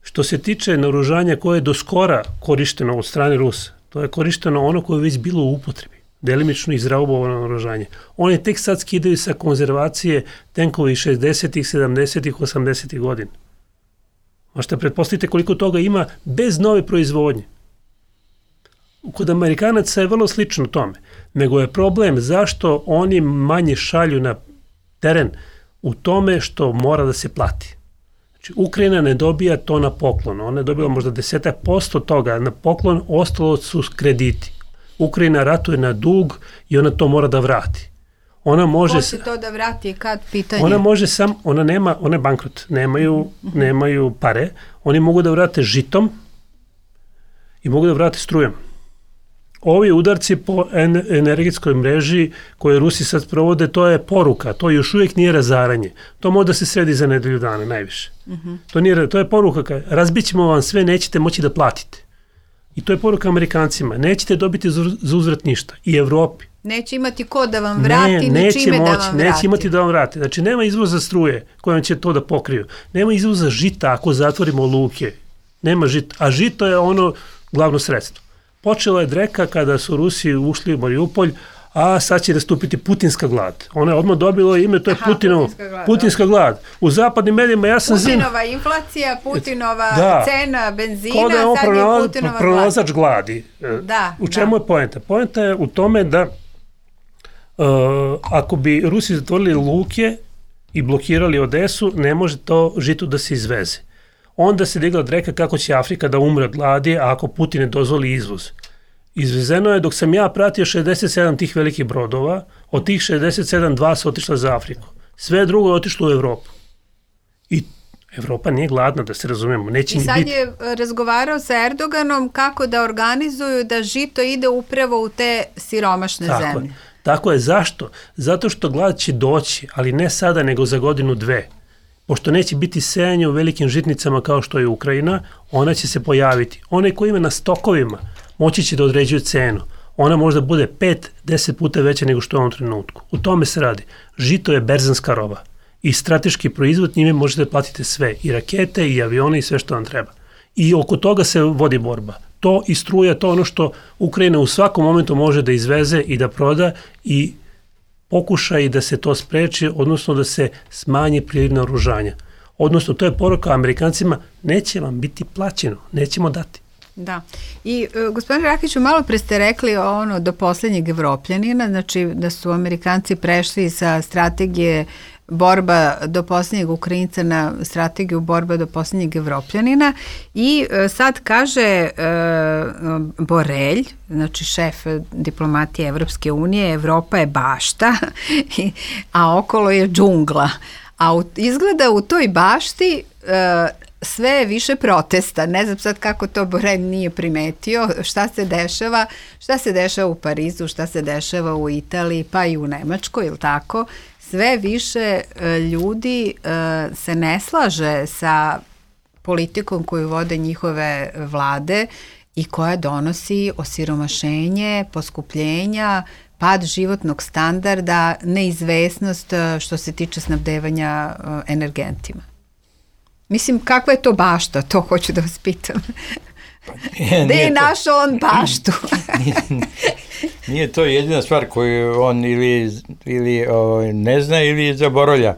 Što se tiče naoružanja koje je do skora korišteno od strane Rusa, to je korišteno ono koje je već bilo u upotrebi, delimično izraubovano naoružanje. Oni tek sad skidaju sa konzervacije tenkovi šezdesetih, sedamdesetih, osamdesetih godina. Možete pretpostaviti koliko toga ima bez nove proizvodnje. Kod Amerikanaca je vrlo slično tome, nego je problem zašto oni manje šalju na teren u tome što mora da se plati. Znači, Ukrajina ne dobija to na poklon, ona je dobila možda desetak posto toga na poklon, ostalo su krediti. Ukrajina ratuje na dug i ona to mora da vrati. Ona može...
Ko će to da vrati, kad pitanje?
Ona može sam, ona nema, ona je bankrot, nemaju, mm-hmm. nemaju pare, oni mogu da vrate žitom i mogu da vrate strujom. Ovi udarci po energetskoj mreži koje Rusi sad provode, to je poruka, to još uvijek nije razaranje. To može da se sredi za nedelju dana, najviše. Mm-hmm. To, nije, to je poruka, razbit ćemo vam sve, nećete moći da platite. I to je poruka Amerikancima, nećete dobiti za uzvrat ništa. I Evropi.
Neće imati ko da vam vrati,
ne,
ni čime
moći,
da vam vrati.
Neće imati da vam vrati. Znači, nema izvoza struje kojom će to da pokriju. Nema izvoza žita ako zatvorimo luke. Nema žita, a žito je ono glavno sredstvo. Počela je dreka kada su Rusi ušli u Mariupolj, a sad će nastupiti putinska glad. Ona je odmah dobila ime, to je Aha, Putinov, putinska, glad, putinska glad. U zapadnim medijima ja sam zim...
Putinova zin... inflacija, Putinova da. cena benzina,
Ko da je on
sad
pronala,
je Putinova
pronalazač gladi.
Da,
u čemu
da.
je poenta? Poenta je u tome da uh, ako bi Rusi zatvorili luke i blokirali Odesu, ne može to žito da se izveze. Onda se digla dreka kako će Afrika da umre od gladi, a ako Putin ne dozvoli izvoz. Izvezeno je, dok sam ja pratio šezdeset sedam tih velikih brodova, od tih šezdeset sedam dva su otišla za Afriku. Sve drugo je otišlo u Evropu. I Evropa nije gladna, da se razumemo. Neće
I sad
biti.
je razgovarao sa Erdoganom kako da organizuju da žito ide upravo u te siromašne
Tako
zemlje.
Je. Tako je. Zašto? Zato što glad će doći, ali ne sada, nego za godinu dve. Pošto neće biti sejanje u velikim žitnicama kao što je Ukrajina, ona će se pojaviti. Onaj koji ima na stokovima moći će da određuje cenu. Ona možda bude pet do deset puta veća nego što je u ovom trenutku. U tome se radi. Žito je berzanska roba i strateški proizvod, njime možete platiti sve, i rakete, i avione, i sve što vam treba. I oko toga se vodi borba. To i struja, to ono što Ukrajina u svakom momentu može da izveze i da proda i pokuša i da se to spreči, odnosno da se smanji priliv naoružanja. Odnosno, to je poruka Amerikancima, neće vam biti plaćeno, nećemo dati.
Da. I uh, gospodine Rakiću, malo pre ste rekli ono do posljednjeg Evropljanina, znači da su Amerikanci prešli sa strategije borba do posljednjeg Ukrajinca na strategiju borba do posljednjeg Evropljanina i uh, sad kaže uh, Borelj, znači šef diplomatije Evropske unije, Evropa je bašta, a okolo je džungla. A u, izgleda u toj bašti uh, sve je više protesta. Ne znam sad kako to Borelj nije primetio, šta se dešava, šta se dešava u Parizu, šta se dešava u Italiji, pa i u Nemačkoj, ili tako? Sve više ljudi se ne slaže sa politikom koju vode njihove vlade i koja donosi osiromašenje, poskupljenja, pad životnog standarda, neizvesnost što se tiče snabdevanja energentima. Mislim, kakva je to bašta, to hoću da vas pitam. Gde je našao on baštu?
nije, nije to jedina stvar koju on ili, ili o, ne zna ili zaboravlja.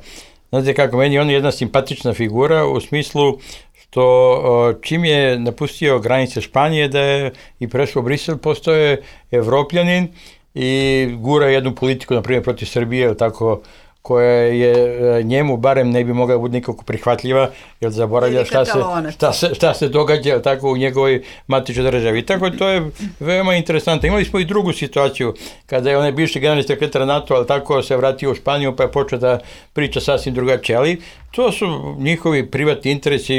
Znate kako, meni on je jedna simpatična figura u smislu što o, čim je napustio granice Španije da je i prešao u Brisel, postoje Evropljanin i gura jednu politiku, na primjer, protiv Srbije, ili tako, koja je njemu barem ne bi mogla biti nikako prihvatljiva, jer zaboravlja šta se, šta, se, šta se događa tako u njegovoj matičnoj državi. I tako to je veoma interesantno. Imali smo i drugu situaciju, kada je onaj bivši generalni sekretar NATO, ali tako se vratio u Španiju, pa je počeo da priča sasvim drugačije, ali to su njihovi privatni interesi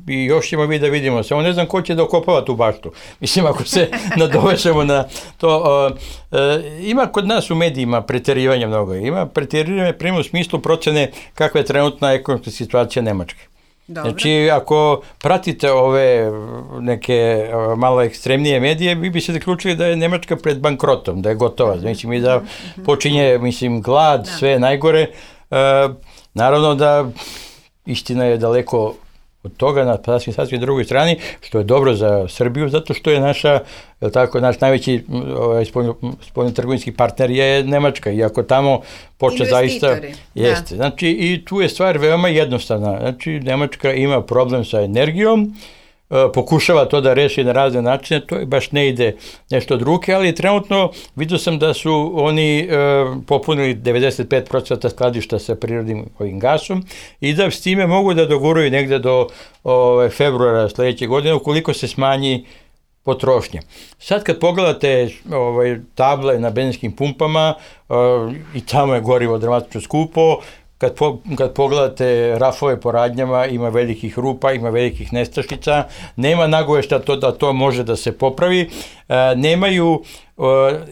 i još ćemo vi da vidimo. Samo ne znam ko će da okopava tu baštu. Mislim, ako se nadovežemo na to. Uh, uh, ima kod nas u medijima preterivanja mnogo. Ima preterivanje prema u smislu procene kakva je trenutna ekonomska situacija Nemačke. Dobro. Znači, ako pratite ove neke uh, malo ekstremnije medije, vi bi se zaključili da je Nemačka pred bankrotom, da je gotova. Znači, mi da počinje, mislim, glad, sve najgore. Uh, naravno da istina je daleko od toga na sasvim, sasvim drugoj strani, što je dobro za Srbiju, zato što je naša, je tako, naš najveći ovaj, spoljnotrgovinski partner je Nemačka, iako tamo počne zaista jeste. Znači, i tu je stvar veoma jednostavna. Znači, Nemačka ima problem sa energijom, pokušava to da reši na razne načine, to je baš ne ide nešto od ruke, ali trenutno vidio sam da su oni e, popunili devedeset pet posto skladišta sa prirodnim ovim gasom i da s time mogu da doguraju negde do ove, februara sledeće godine ukoliko se smanji potrošnje. Sad kad pogledate ovaj, table na benzinskim pumpama e, i tamo je gorivo dramatično skupo. Kad, po, kad pogledate rafove po radnjama, ima velikih rupa, ima velikih nestašica, nema nagovešta to da to može da se popravi, e, nemaju e,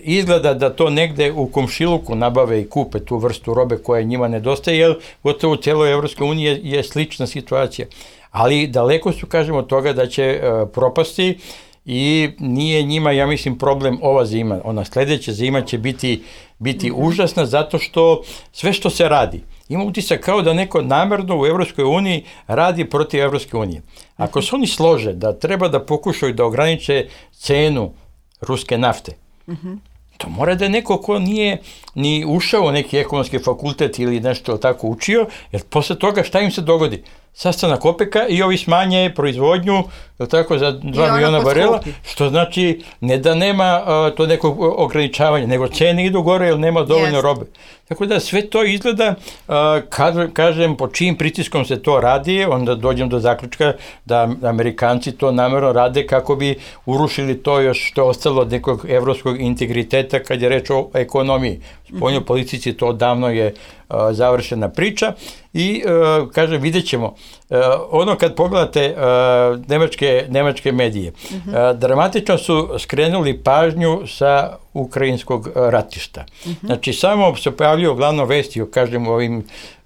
izgleda da to negde u komšiluku nabave i kupe tu vrstu robe koja njima nedostaje, jer gotovo u celoj Evropskoj uniji je, je slična situacija. Ali daleko su, kažemo, od toga da će e, propasti i nije njima, ja mislim, problem ova zima. Ona sledeća zima će biti, biti mm-hmm. užasna zato što sve što se radi, ima utisak kao da neko namerno u Evropskoj uniji radi protiv Evropske unije. Ako se oni slože da treba da pokušaju da ograniče cenu ruske nafte, mm-hmm. to mora da je neko ko nije ni ušao u neki ekonomski fakultet ili nešto tako učio, jer posle toga šta im se dogodi? Sastanak OPEC-a i ovi smanje proizvodnju, je tako, za dva miliona barela, što znači ne da nema uh, to neko ograničavanje, nego cene idu gore jer nema dovoljno yes. robe. Tako da sve to izgleda, uh, kad, kažem, po čijim pritiskom se to radi, onda dođem do zaključka da Amerikanci to namerno rade kako bi urušili to još što je ostalo od nekog evropskog integriteta kad je reč o ekonomiji. Spoljnoj mm-hmm. politici to davno je uh, završena priča i, uh, kažem, vidjet ćemo. Uh, ono kad pogledate uh, nemačke, nemačke medije, mm-hmm. uh, dramatično su skrenuli pažnju sa ukrajinskog ratišta. Mm-hmm. Znači, samo se pojavljaju glavno vesti, kažem, u ovim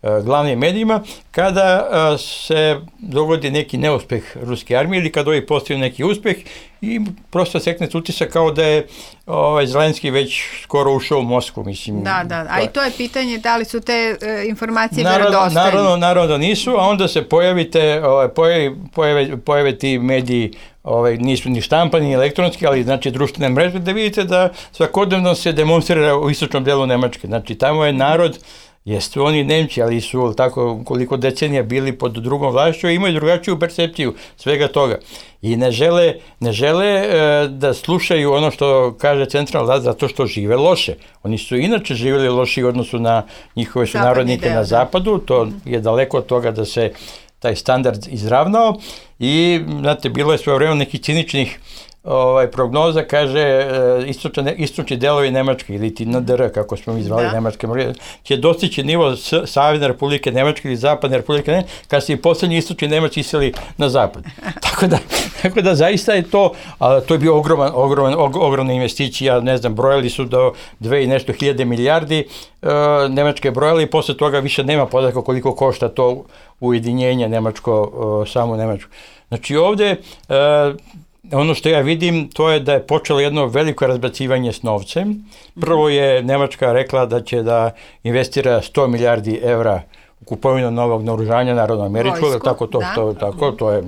uh, glavnim medijima, kada uh, se dogodi neki neuspeh ruske armije ili kada ovi postaju neki uspeh i prosto sekne utisak kao da je ovaj, Zelenski već skoro ušao u Moskvu, mislim.
Da, da, a i to je pitanje da li su te uh, informacije
naravno,
verodostojne.
Naravno, naravno da nisu, a onda se pojavite, ovaj, pojave, pojave, pojave ti mediji, ovaj, nisu ni štampani, ni elektronski, ali znači društvene mreže, da vidite da svakodnevno se demonstrira u istočnom delu Nemačke. Znači, tamo je narod, jeste oni Nemci, ali su tako koliko decenija bili pod drugom vlašću i imaju drugačiju percepciju svega toga. I ne žele, ne žele e, da slušaju ono što kaže centralna vlast zato što žive loše. Oni su inače živjeli loši u odnosu na njihove sunarodnike na zapadu, to je daleko od toga da se taj standard izravnao i, znate, bilo je svoje vreme nekih ciničnih ovaj, prognoza, kaže istočni, istočni delovi Nemačke ili ti N D R, kako smo mi zvali da. Nemačke, će dostići nivo Savezne Republike Nemačke ili Zapadne Republike Nemačke, kad se i poslednji istočni Nemac iseli na zapad. tako, da, tako da zaista je to, a, to je bio ogroman, ogroman, og, ogromna investicija, ne znam, brojali su do dve i nešto hiljade milijardi, e, Nemačke brojali i posle toga više nema podatka koliko košta to ujedinjenje Nemačko, e, samo Nemačko. Znači ovde, e, ono što ja vidim, to je da je počelo jedno veliko razbacivanje s novcem. Prvo je Nemačka rekla da će da investira sto milijardi evra u kupovinu novog naoružanja, naravno američkog,
Vojsku,
tako to,
da.
to, tako, to je...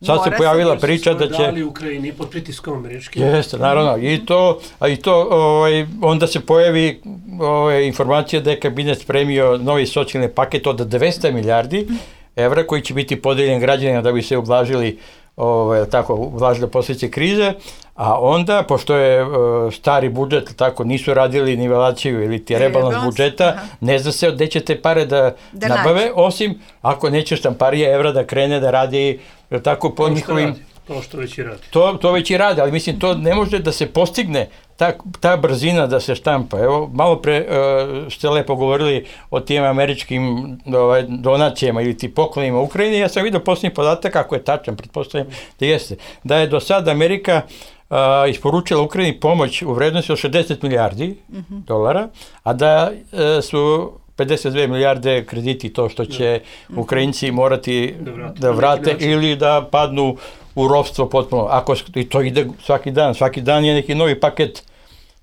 Sad se
Mora
pojavila
se
priča da će...
dali Ukrajini pod pritiskom američkim.
Jeste, naravno. I to, a i to ovaj, onda se pojavi ovaj, informacija da je kabinet spremio novi socijalni paket od dvesta milijardi evra koji će biti podeljen građanima da bi se ublažili ovaj, tako, ublažile posljedice krize, a onda, pošto je uh, stari budžet, tako, nisu radili nivelaciju ili ti rebalans budžeta, aha. ne zna se gde će te pare da, da nabave, nađe. Osim ako neće štamparija evra da krene da radi tako po njihovim...
To što već i radi.
To, to već i radi, ali mislim, to ne može da se postigne, ta, ta brzina da se štampa. Evo, malo pre uh, ste lepo govorili o tim američkim ovaj, donacijama ili ti poklonima Ukrajini. Ja sam vidio posljednji podatak, ako je tačan, pretpostavljam da jeste, da je do sada Amerika uh, isporučila Ukrajini pomoć u vrednosti od šezdeset milijardi mm-hmm. dolara, a da uh, su pedeset dve milijarde krediti, to što će mm-hmm. Ukrajinci morati da vrate, da vrate ili da padnu u ropstvo potpuno. Ako i to ide svaki dan, svaki dan je neki novi paket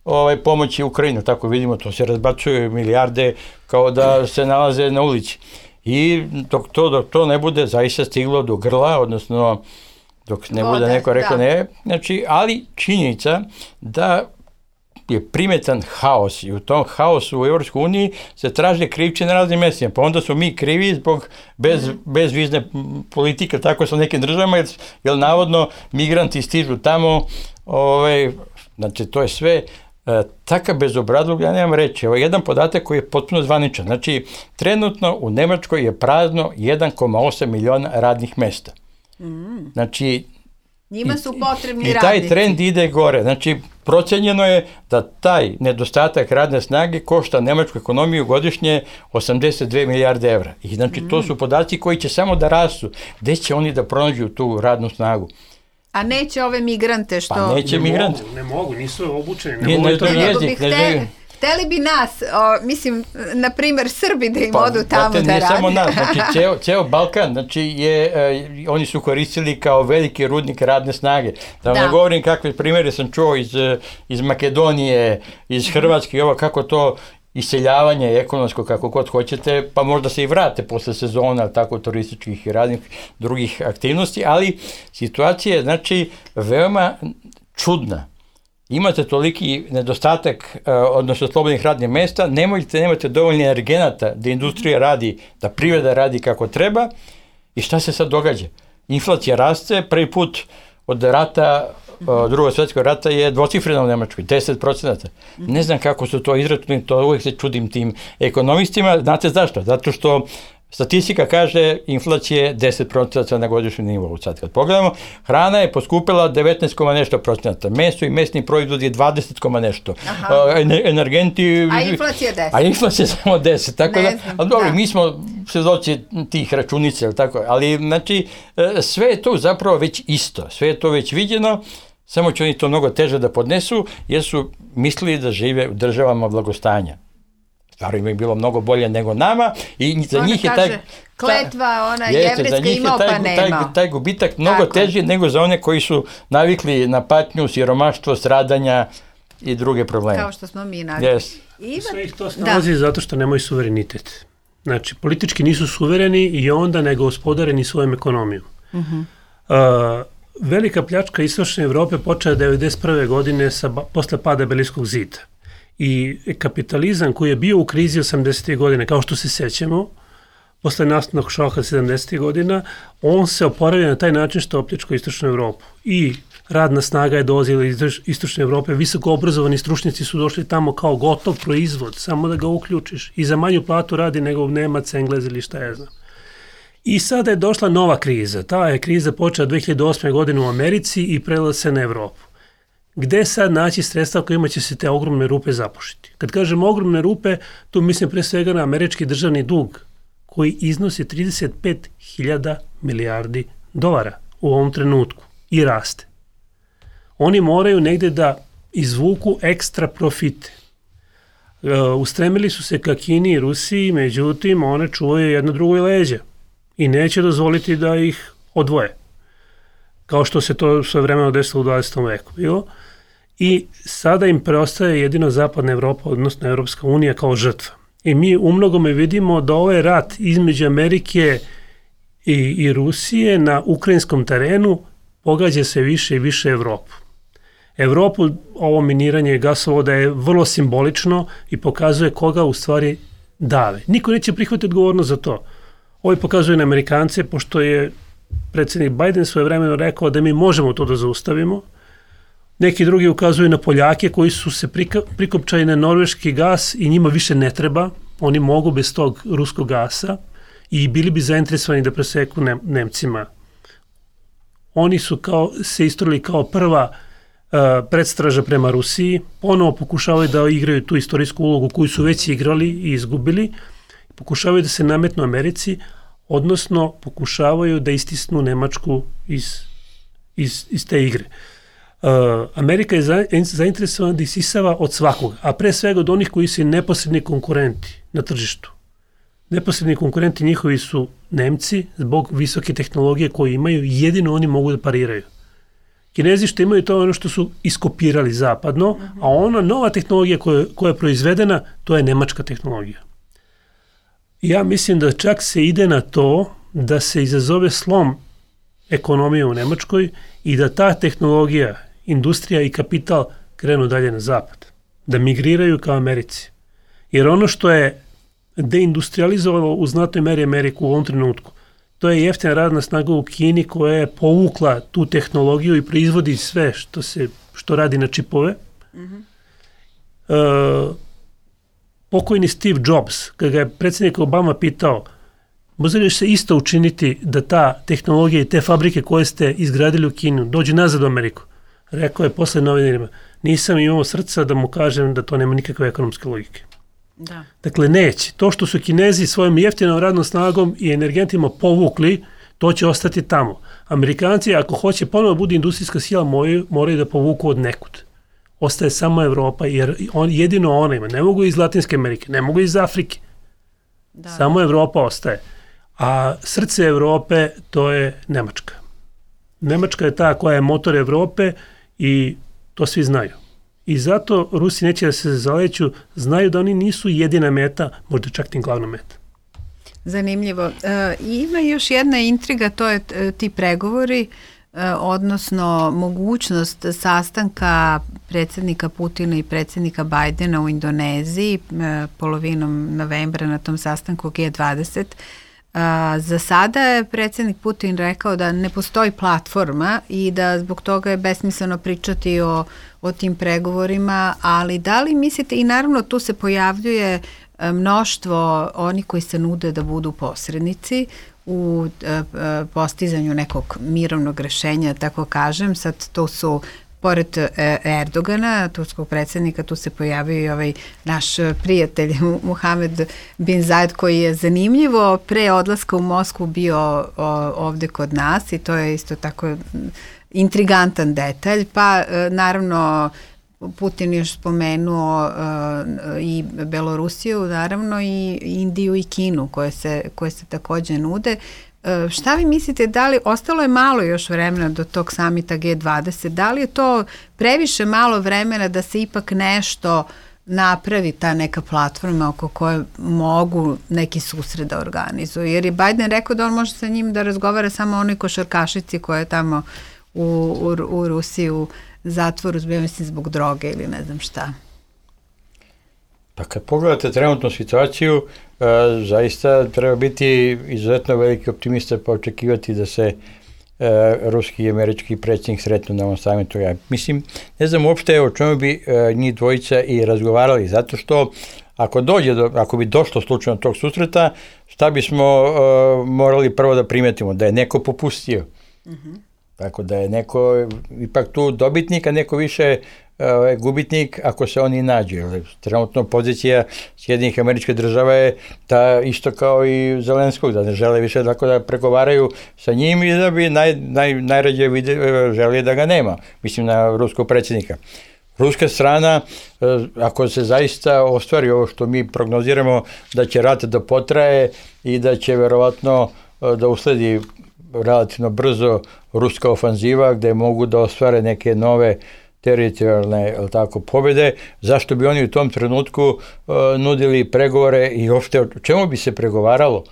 ovaj, pomoći Ukrajini, tako vidimo, to se razbacuju milijarde kao da se nalaze na ulici. I dok to, dok to ne bude zaista stiglo do grla, odnosno dok ne bude neko rekao ne, znači, ali činjenica da je primetan haos i u tom haosu u Evropskoj uniji se traže krivci na raznim mjestima, pa onda su mi krivi zbog bez, mm. bezvizne politike, tako sa nekim državama, jer, jer navodno migranti stižu tamo, ovaj, znači to je sve e, takav bezobrazluk, ja nemam reći. Ovo je jedan podatak koji je potpuno zvaničan, znači trenutno u Nemačkoj je prazno jedan zarez osam miliona radnih mjesta. Mm. Znači
njima su potrebni
radnici. I taj trend ide gore. Znači, procenjeno je da taj nedostatak radne snage košta nemačku ekonomiju godišnje osamdeset dve milijarde evra. I znači, mm. to su podaci koji će samo da rastu. Gde će oni da pronađu tu radnu snagu?
A neće ove migrante što...
Pa neće
ne
migrante.
Mogu, ne mogu, nisu obučeni. Ne,
ne,
mogu
ne,
to
ne, jezik, ne, ne,
Hteli bi nas, o, mislim, na primjer Srbi da im pa, odu tamo
znate,
da
radi.
radi.
Ne samo nas, znači ceo, ceo Balkan, znači je, e, oni su koristili kao veliki rudnik radne snage. Da, da. ne govorim kakve primjere sam čuo iz, iz Makedonije, iz Hrvatske i ovo, kako to iseljavanje ekonomsko, kako god hoćete, pa možda se i vrate posle sezona, tako turističkih i raznih drugih aktivnosti, ali situacija je, znači, veoma čudna. Imate toliki nedostatak, odnosno slobodnih radnih mjesta, nemojte, nemate dovoljno energenata da industrija radi, da privreda radi kako treba i šta se sad događa? Inflacija raste, prvi put od rata, drugog svjetskog rata je dvocifrena u Nemačkoj, deset procenata. Ne znam kako su to izračunali, to uvijek se čudim tim ekonomistima. Znate zašto? Zato što statistika kaže inflacije deset procenata na godišnjem nivou. Sad kad pogledamo, hrana je poskupila devetnaest koma nešto procenata, meso i mesni proizvod je dvadeset koma nešto, uh, energenti...
A inflacija je deset.
A inflacija je samo deset, tako ne da, znam, ali dobro, da. Mi smo svedoci tih računica, tako, ali znači sve je to zapravo već isto, sve je to već viđeno, samo će oni to mnogo teže da podnesu, jer su mislili da žive u državama blagostanja. Stvarno im je bilo mnogo bolje nego nama i za
ona
njih je
kaže,
taj...
kletva, ona jevrijska imao pa nema.
Taj, taj gubitak mnogo tako teži nego za one koji su navikli na patnju, siromaštvo, stradanja i druge probleme.
Kao što smo mi navikli.
Yes.
Ivan... Sve ih to snalazi zato što nemaju suverenitet. Znači, politički nisu suvereni i onda ne gospodare ni svojom ekonomijom. Uh-huh. Uh, velika pljačka istočne Evrope počela devedeset prve godine sa, posle pada Berlinskog zida. I kapitalizam koji je bio u krizi osamdesetih godine, kao što se sećamo, posle nastavnog šoka sedamdesetih godina, on se oporavio na taj način što opljačkao istočnu Evropu. I radna snaga je dolazila iz istočne Evrope, visoko obrazovani stručnjaci su došli tamo kao gotov proizvod, samo da ga uključiš. I za manju platu radi nego Nemac, Englez ili šta je znam. I sada je došla nova kriza. Ta je kriza počela dve hiljade osme. godine u Americi i prelila se na Evropu. Gde sad naći sredstva kojima će se te ogromne rupe zapušiti? Kad kažem ogromne rupe, tu mislim pre svega na američki državni dug, koji iznosi trideset pet hiljada milijardi dolara u ovom trenutku i raste. Oni moraju negde da izvuku ekstra profite. E, ustremili su se ka Kini i Rusiji, međutim, one čuvaju jedno drugo leđe i neće dozvoliti da ih odvoje. kao što se to sve vremeno desilo u dvadesetom veku bilo. I sada im preostaje jedino Zapadna Evropa, odnosno Evropska unija kao žrtva. I mi u mnogome vidimo da ovaj rat između Amerike i, i Rusije na ukrajinskom terenu pogađa se više i više Evropu. Evropu ovo miniranje gasovoda je vrlo simbolično i pokazuje koga u stvari dave. Niko neće prihvatiti odgovornost za to. Ovo pokazuje na Amerikance, pošto je predsjednik Biden svoje vremeno rekao da mi možemo to da zaustavimo. Neki drugi ukazuju na Poljake koji su se prikopčali na norveški gas i njima više ne treba. Oni mogu bez tog ruskog gasa i bili bi zainteresovani da preseku ne, Nemcima. Oni su kao, se istorili kao prva uh, predstraža prema Rusiji. Ponovo pokušavaju da igraju tu istorijsku ulogu koju su već igrali i izgubili. Pokušavaju da se nametnu Americi, odnosno pokušavaju da istisnu Nemačku iz, iz, iz te igre. Uh, Amerika je za, zainteresovana da isisava od svakoga, a pre svega od onih koji su neposredni konkurenti na tržištu. Neposredni konkurenti njihovi su Nemci zbog visoke tehnologije koje imaju, jedino oni mogu da pariraju. Kinezi što imaju to ono što su iskopirali zapadno, a ona nova tehnologija koja, koja je proizvedena, to je nemačka tehnologija. Ja mislim da čak se ide na to da se izazove slom ekonomije u Nemačkoj i da ta tehnologija, industrija i kapital krenu dalje na zapad. Da migriraju kao Americi. Jer ono što je deindustrializovalo u znatnoj meri Ameriku u ovom trenutku, to je jeftina radna snaga u Kini koja je povukla tu tehnologiju i proizvodi sve što se što radi na čipove. Mm-hmm. Uh, pokojni Steve Jobs, kada ga je predsjednik Obama pitao može li se isto učiniti da ta tehnologija i te fabrike koje ste izgradili u Kinu dođu nazad u Ameriku? Rekao je posle novinarima, nisam imao srca da mu kažem da to nema nikakve ekonomske logike.
Da.
Dakle, neće. To što su Kinezi svojom jeftinom radnom snagom i energentima povukli, to će ostati tamo. Amerikanci, ako hoće ponovo bude industrijska sila, moraju, moraju da povuku od nekud. Ostaje samo Evropa, jer on, jedino ona ima. Ne mogu iz Latinske Amerike, ne mogu iz Afrike. Da. Samo Evropa ostaje. A srce Evrope, to je Nemačka. Nemačka je ta koja je motor Evrope i to svi znaju. I zato Rusi neće da se zaleću, znaju da oni nisu jedina meta, možda čak ni glavna meta.
Zanimljivo. E, ima još jedna intriga, to je ti pregovori, e, odnosno mogućnost sastanka predsjednika Putina i predsjednika Bajdena u Indoneziji e, polovinom novembra na tom sastanku G dvadeset. A, za sada je predsjednik Putin rekao da ne postoji platforma i da zbog toga je besmisleno pričati o, o tim pregovorima, ali da li mislite, i naravno tu se pojavljuje mnoštvo oni koji se nude da budu posrednici u e, postizanju nekog mirovnog rešenja, tako kažem, sad to su pored Erdogana, turskog predsjednika, tu se pojavio i ovaj naš prijatelj Muhamed bin Zayed, koji je zanimljivo pre odlaska u Moskvu bio ovde kod nas i to je isto tako intrigantan detalj. Pa naravno Putin još spomenuo i Belorusiju, naravno i Indiju i Kinu koje se, koje se takođe nude. Šta vi mislite, da li, ostalo je malo još vremena do tog samita G dvadeset, da li je to previše malo vremena da se ipak nešto napravi, ta neka platforma oko koje mogu neki susret da organizuju? Jer je Biden rekao da on može sa njim da razgovara samo o onoj košarkašici koja je tamo u, u, u Rusiji u zatvoru, mislim, zbog droge ili ne znam šta.
Pa kad pogledate trenutnu situaciju, e, zaista treba biti izuzetno veliki optimista pa očekivati da se e, ruski i američki predsjednik sretnu na ovom samitu. Ja mislim, ne znam uopšte o čemu bi e, njih dvojica i razgovarali, zato što ako dođe do, ako bi došlo slučajno tog susreta, šta bismo e, morali prvo da primetimo? Da je neko popustio. Mm-hmm. Tako da je neko ipak tu dobitnik, a neko više uh, gubitnik ako se oni nađe. Trenutno pozicija Sjedinjenih Američkih Država je ta isto kao i Zelenskog, da ne žele više tako da pregovaraju sa njim i da bi naj, naj, najrađe vide, želi da ga nema. Mislim na ruskog predsjednika. Ruska strana, uh, ako se zaista ostvari ovo što mi prognoziramo, da će rat da potraje i da će verovatno uh, da usledi relativno brzo ruska ofanziva gde mogu da ostvare neke nove teritorijalne tako, pobjede, zašto bi oni u tom trenutku uh, nudili pregovore i uopšte o čemu bi se pregovaralo?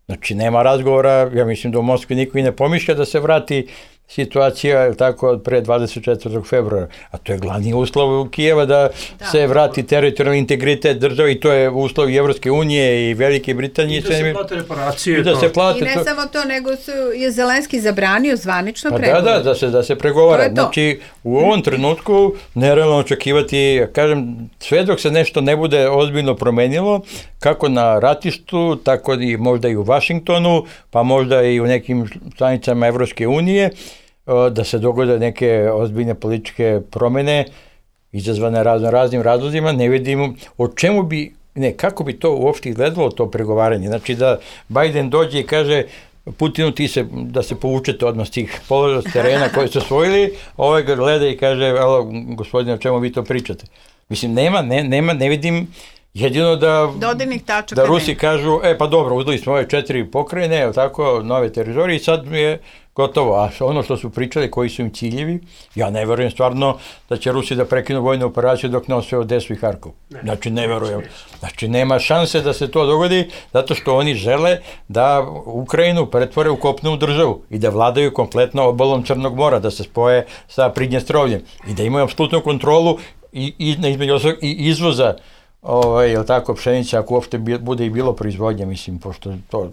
Znači, nema razgovora, ja mislim da u Moskvi niko i ne pomišlja da se vrati situacija tako od pre dvadeset četvrtog februara, a to je glavni uslov u Kijeva da, da se vrati teritorijalni integritet države i to je uslov i Evropske unije i Velike Britanije.
I da se plate reparacije.
I, da se plate,
I ne
to...
samo to, nego su, je Zelenski zabranio zvanično
pa
pregovor.
Da, da, da se, da se pregovara. Znači, u ovom trenutku nerealno očekivati, kažem, sve dok se nešto ne bude ozbiljno promenilo, kako na ratištu, tako i možda i u Vašingtonu, pa možda i u nekim članicama Evropske unije, da se dogode neke ozbiljne političke promene izazvane razno raznim razlozima, ne vidimo o čemu bi, ne, kako bi to uopšte izgledalo to pregovaranje. Znači da Biden dođe i kaže Putinu ti se, da se povučete odmah s tih položaja terena koje su osvojili, ovaj ga gleda i kaže, alo, gospodine, o čemu vi to pričate? Mislim, nema, ne, nema, ne vidim. Jedino da, da Rusi ne. kažu, e pa dobro, uzeli smo ove četiri pokrajine, tako, nove teritorije i sad je gotovo. A ono što su pričali, koji su im ciljevi, ja ne verujem stvarno da će Rusi da prekinu vojnu operaciju dok ne osvoje Odesu i Harkov. Ne. Znači ne verujem. Znači nema šanse da se to dogodi zato što oni žele da Ukrajinu pretvore u kopnenu državu i da vladaju kompletno obalom Crnog mora, da se spoje sa Pridnjestrovljem i da imaju apsolutnu kontrolu i, i, između ostalog, i izvoza ovaj, jel tako, pšenica, ako uopšte bude i bilo proizvodnja, mislim, pošto to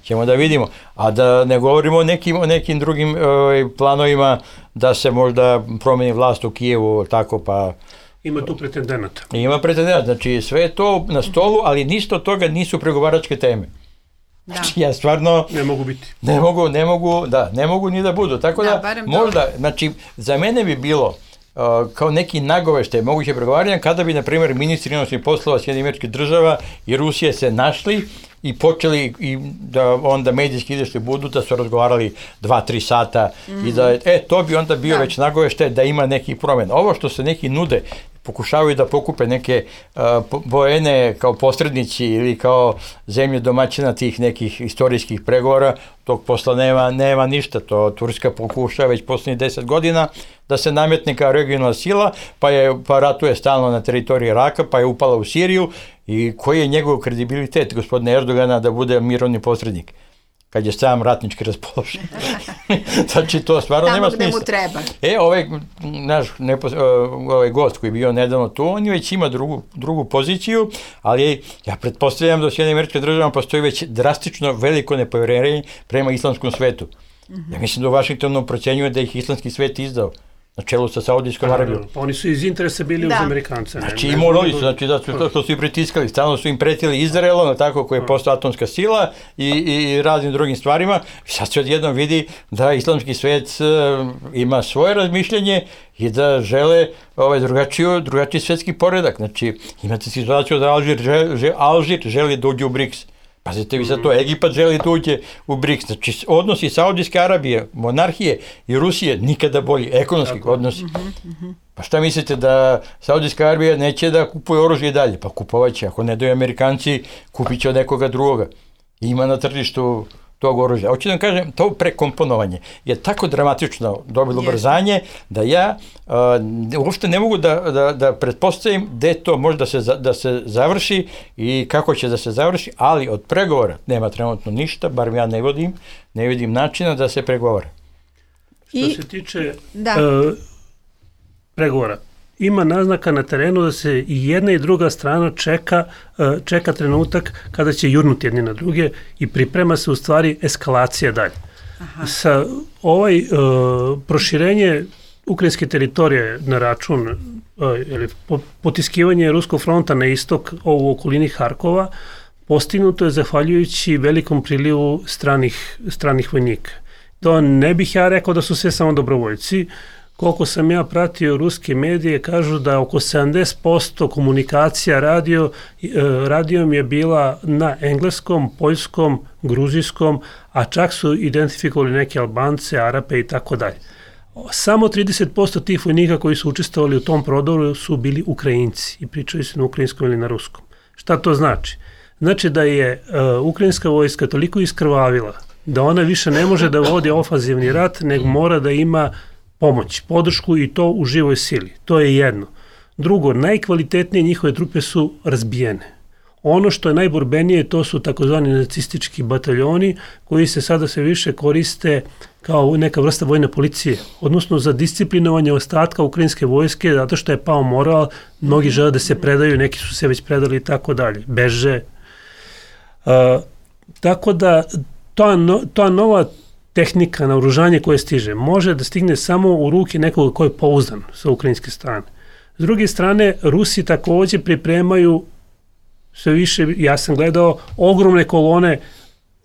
ćemo da vidimo. A da ne govorimo o nekim, o nekim drugim ovaj, planovima da se možda promeni vlast u Kijevu, tako pa...
Ima tu pretendenata.
Ima pretendenata, znači sve je to na stolu, ali ništa od toga nisu pregovaračke teme. Da. Znači ja stvarno...
Ne mogu biti.
Ne mogu, ne mogu, da, ne mogu ni da budu. Tako da, da možda, to... znači, za mene bi bilo Uh, kao neki nagoveštaj moguće pregovaranja kada bi, na primjer, ministri inostranih poslova Sjedinjenih Američkih Država i Rusije se našli i počeli i da onda medijski izašli budu da su razgovarali dva, tri sata mm-hmm. i da, e, to bi onda bio da. već nagoveštaj da ima nekih promjena. Ovo što se neki nude, pokušavaju da pokupe neke uh, vojne kao posrednici ili kao zemlje domaćina tih nekih istorijskih pregovora, tog posla nema, nema ništa. To Turska pokušava već poslednjih deset godina da se nametne kao regionalna sila, pa, je, pa ratuje stalno na teritoriji Iraka, pa je upala u Siriju i koji je njegov kredibilitet gospodina Erdogana da bude mirovni posrednik kad je sam ratnički raspoložen. Znači, to stvarno nema smisla.
Tamo gde mu treba.
E, ovaj naš nepo, ovaj gost koji je bio nedavno tu, on već ima drugu, drugu poziciju, ali ja pretpostavljam da u Sjedinjenim Američkim Državama postoji već drastično veliko nepovjerenje prema islamskom svetu. Mm-hmm. Ja mislim da u Vašingtonu procenjuje da ih islamski svet izdao na čelu sa Saudijskom Arabijom.
Pa oni su iz interesa bili da. uz Amerikance. Ne?
Znači i morali su, znači da su to što su i pritiskali, stalno su im pretili Izraelom, tako koji je postao atomska sila i, i raznim drugim stvarima. Sad se odjednom vidi da islamski svet uh, ima svoje razmišljenje i da žele ovaj drugačiju, drugačiji svetski poredak. Znači imate situaciju da Alžir, žel, žel, Alžir želi da uđe u BRICS. Pazite vi sad to, Egipat želi da uđe u BRICS, znači odnosi Saudijske Arabije, monarhije i Rusije nikada bolji, ekonomski odnosi. Pa šta mislite da Saudijska Arabija neće da kupuje oružje i dalje? Pa kupovat će, ako ne daju Amerikanci, kupit će od nekoga drugoga. Ima na tržištu tog oružja. Hoću da vam kažem, to prekomponovanje je tako dramatično dobilo brzanje da ja uh, uopšte ne mogu da, da, da pretpostavim gde to može da se, da se završi i kako će da se završi, ali od pregovora nema trenutno ništa, bar ja ne vidim, ne vidim načina da se pregovara.
Što I, se tiče uh, pregovora, ima naznaka na terenu da se i jedna i druga strana čeka, čeka trenutak kada će jurnuti jedni na druge i priprema se u stvari eskalacija dalje. Aha. Sa ovaj uh, proširenje ukrajinske teritorije na račun uh, ili potiskivanje Ruskog fronta na istok u okolini Harkova postignuto je zahvaljujući velikom prilivu stranih, stranih vojnika. To ne bih ja rekao da su sve samo dobrovoljci. Koliko sam ja pratio ruske medije, kažu da oko sedamdeset posto komunikacija radio, radijom je bila na engleskom, poljskom, gruzijskom, a čak su identifikovali neke Albance, Arape i tako dalje. Samo trideset posto tih vojnika koji su učestvovali u tom prodoru su bili Ukrajinci i pričali su na ukrajinskom ili na ruskom. Šta to znači? Znači da je uh, ukrajinska vojska toliko iskrvavila da ona više ne može da vodi ofanzivni rat, nego mora da ima pomoć, podršku i to u živoj sili. To je jedno. Drugo, najkvalitetnije njihove trupe su razbijene. Ono što je najborbenije, to su takozvani nacistički bataljoni koji se sada sve više koriste kao neka vrsta vojne policije, odnosno za disciplinovanje ostatka ukrajinske vojske, zato što je pao moral, mnogi žele da se predaju, neki su se već predali i tako dalje, beže. Uh, tako da ta, no, ta nova tehnika, naoružanje koje stiže, može da stigne samo u ruke nekoga ko je pouzdan sa ukrajinske strane. S druge strane, Rusi takođe pripremaju sve više, ja sam gledao ogromne kolone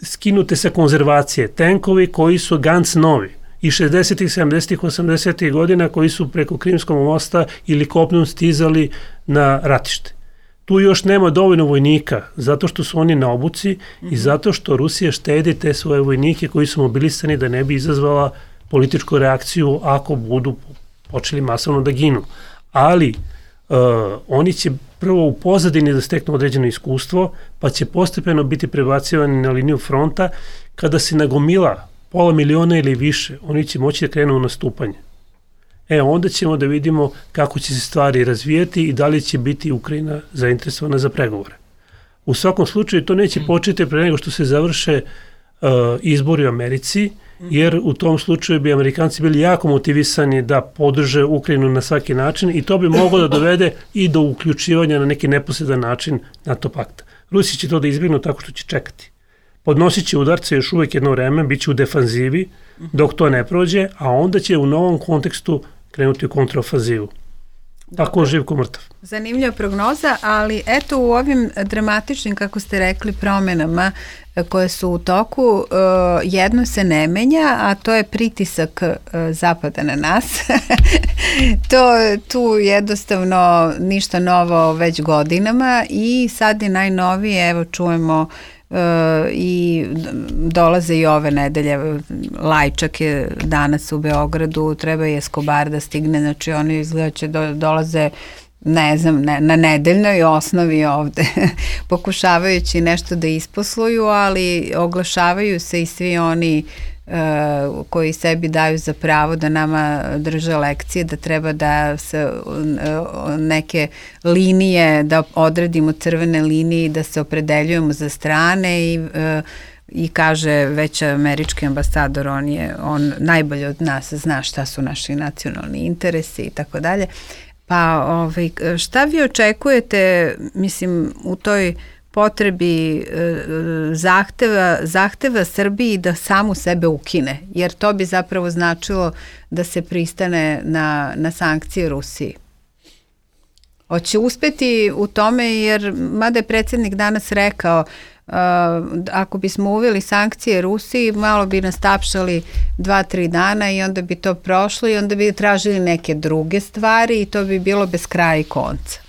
skinute sa konzervacije, tenkovi koji su ganz novi i šezdesetih, sedamdesetih, osamdesetih godina koji su preko Krimskog mosta ili kopnom stizali na ratište. Tu još nema dovoljno vojnika, zato što su oni na obuci mm-hmm. i zato što Rusija štedi te svoje vojnike koji su mobilisani da ne bi izazvala političku reakciju ako budu počeli masovno da ginu. Ali uh, oni će prvo u pozadini da steknu određeno iskustvo, pa će postepeno biti prebacivani na liniju fronta. Kada se nagomila pola miliona ili više, oni će moći da krenu u nastupanje. E, onda ćemo da vidimo kako će se stvari razvijeti i da li će biti Ukrajina zainteresovana za pregovore. U svakom slučaju to neće početi pre nego što se završe uh, izbori u Americi, jer u tom slučaju bi Amerikanci bili jako motivisani da podrže Ukrajinu na svaki način i to bi moglo da dovede i do uključivanja na neki neposredan način NATO pakta. Rusi će to da izbjegnu tako što će čekati. Podnosit će udarce još uvek jedno vreme, bit će u defanzivi dok to ne prođe, a onda će u novom kontekstu krenuti u kontraofanzivu. Tako živ ko mrtav.
Zanimljiva prognoza, ali eto u ovim dramatičnim, kako ste rekli, promenama koje su u toku, jedno se ne menja, a to je pritisak Zapada na nas. to tu jednostavno ništa novo već godinama i sad je najnovije, evo čujemo Uh, i dolaze i ove nedelje, Lajčak je danas u Beogradu, treba i Escobar da stigne, znači oni izgleda će do, dolaze ne znam, ne, na nedeljnoj osnovi ovde, pokušavajući nešto da isposluju, ali oglašavaju se i svi oni uh, koji sebi daju za pravo da nama drže lekcije, da treba da se uh, neke linije, da odredimo crvene linije i da se opredeljujemo za strane i uh, i kaže već američki ambasador, on je on najbolje od nas zna šta su naši nacionalni interesi i tako dalje. Pa ovaj, šta vi očekujete, mislim, u toj potrebi zahteva, zahteva Srbiji da samu sebe ukine, jer to bi zapravo značilo da se pristane na, na sankcije Rusiji? Hoće uspeti u tome, jer mada je predsjednik danas rekao Uh, ako bismo uveli sankcije Rusiji, malo bi nas tapšali dva, tri dana i onda bi to prošlo i onda bi tražili neke druge stvari i to bi bilo bez kraja i konca.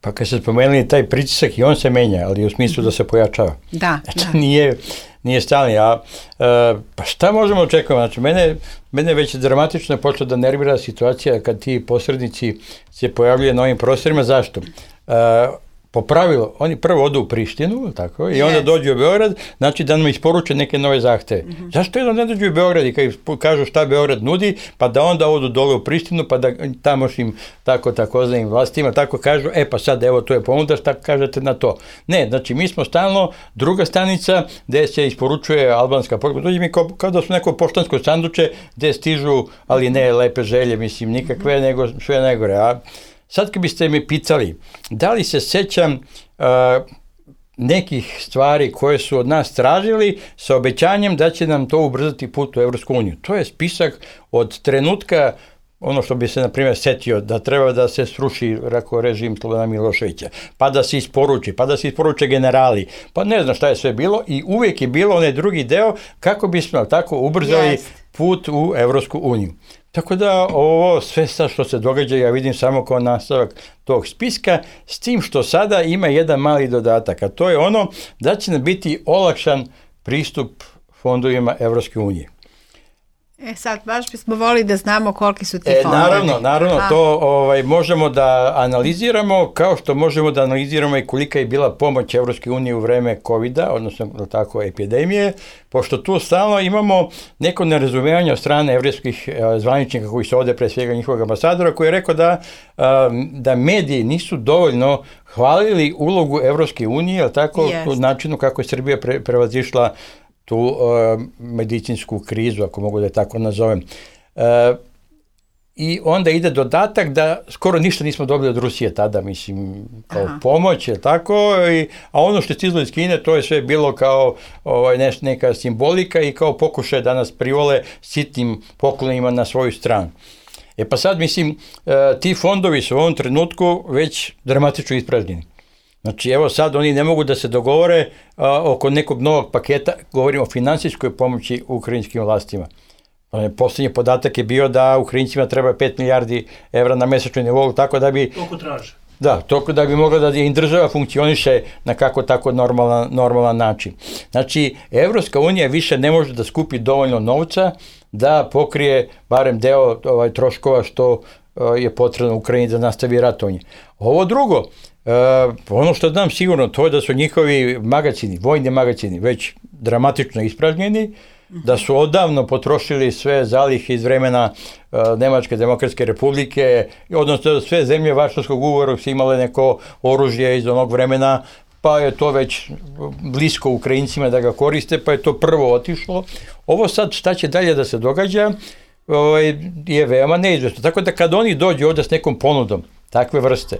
Pa kad se spomenuli taj pritisak i on se menja, ali u smislu da se pojačava.
Da,
znači,
da.
Nije, nije stalni. A, uh, pa šta možemo očekati? Znači, mene, mene već dramatično je počela da nervira situacija kad ti posrednici se pojavljaju na ovim prostorima. Zašto? Uh, Po pravilu, oni prvo odu u Prištinu, tako, i onda yes. dođu u Beograd, znači da nam isporuče neke nove zahteve. Mm-hmm. Zašto jedno ne dođu u Beograd i kad kažu šta Beograd nudi, pa da onda odu dole u Prištinu, pa da tamošnjim tako takozvanim vlastima tako kažu, e pa sad evo to je ponuda, šta kažete na to? Ne, znači mi smo stalno druga stanica gde se isporučuje albanska poruka. Dođe mi kao, kao da su neko poštansko sanduče gde stižu, ali ne lepe želje, mislim, nikakve, mm-hmm. nego sve najgore. A sad kad biste me pitali, da li se sećam uh, nekih stvari koje su od nas tražili sa obećanjem da će nam to ubrzati put u Evropsku uniju. To je spisak od trenutka, ono što bi se, na primjer, setio, da treba da se sruši rako režim Slobodana Miloševića, pa da se isporuči, pa da se isporuče generali, pa ne znam šta je sve bilo i uvijek je bilo onaj drugi deo kako bismo tako ubrzali yes. put u Evropsku uniju. Tako da ovo sve sad što se događa ja vidim samo kao nastavak tog spiska, s tim što sada ima jedan mali dodatak, a to je ono da će nam biti olakšan pristup fondovima Evropske unije.
E sad, baš bismo volili da znamo koliki su ti
e,
fondovi.
Naravno, naravno, A. to ovaj, možemo da analiziramo, kao što možemo da analiziramo i kolika je bila pomoć Evropske unije u vreme kovida, odnosno tako epidemije, pošto tu stalno imamo neko nerazumevanje od strane evropskih zvaničnika koji su ovde, pre svega njihovog ambasadora, koji je rekao da, da mediji nisu dovoljno hvalili ulogu Evropske unije, tako, yes. u načinu kako je Srbija pre, prevazišla tu uh, medicinsku krizu, ako mogu da je tako nazovem. Uh, I onda ide dodatak da skoro ništa nismo dobili od Rusije tada, mislim, kao Aha. pomoć, je tako, i, a ono što je stizlo iz Kine, to je sve bilo kao ovaj, neš, neka simbolika i kao pokušaj da nas privole sitnim poklonima na svoju stranu. E pa sad, mislim, uh, ti fondovi su u ovom trenutku već dramatično ispražnjeni. Znači, evo sad oni ne mogu da se dogovore a, oko nekog novog paketa, govorimo o finansijskoj pomoći ukrajinskim vlastima. Poslednji podatak je bio da Ukrajincima treba pet milijardi evra na mesečnom nivou, tako da bi...
Toliko traže.
Da, toliko da bi mogla da im država funkcioniše na kako tako normalan, normalan način. Znači, Evropska unija više ne može da skupi dovoljno novca da pokrije barem deo ovaj, troškova što a, je potrebno Ukrajini da nastavi ratovanje. Ovo drugo, Uh, ono što znam sigurno, to je da su njihovi magacini, vojni magacini već dramatično ispražnjeni, da su odavno potrošili sve zalihe iz vremena uh, Nemačke demokratske republike, odnosno sve zemlje Varšavskog ugovora su imale neko oružje iz onog vremena, pa je to već blisko Ukrajincima da ga koriste, pa je to prvo otišlo. Ovo sad šta će dalje da se događa ovaj, je veoma neizvesno. Tako da kad oni dođu ovde s nekom ponudom takve vrste,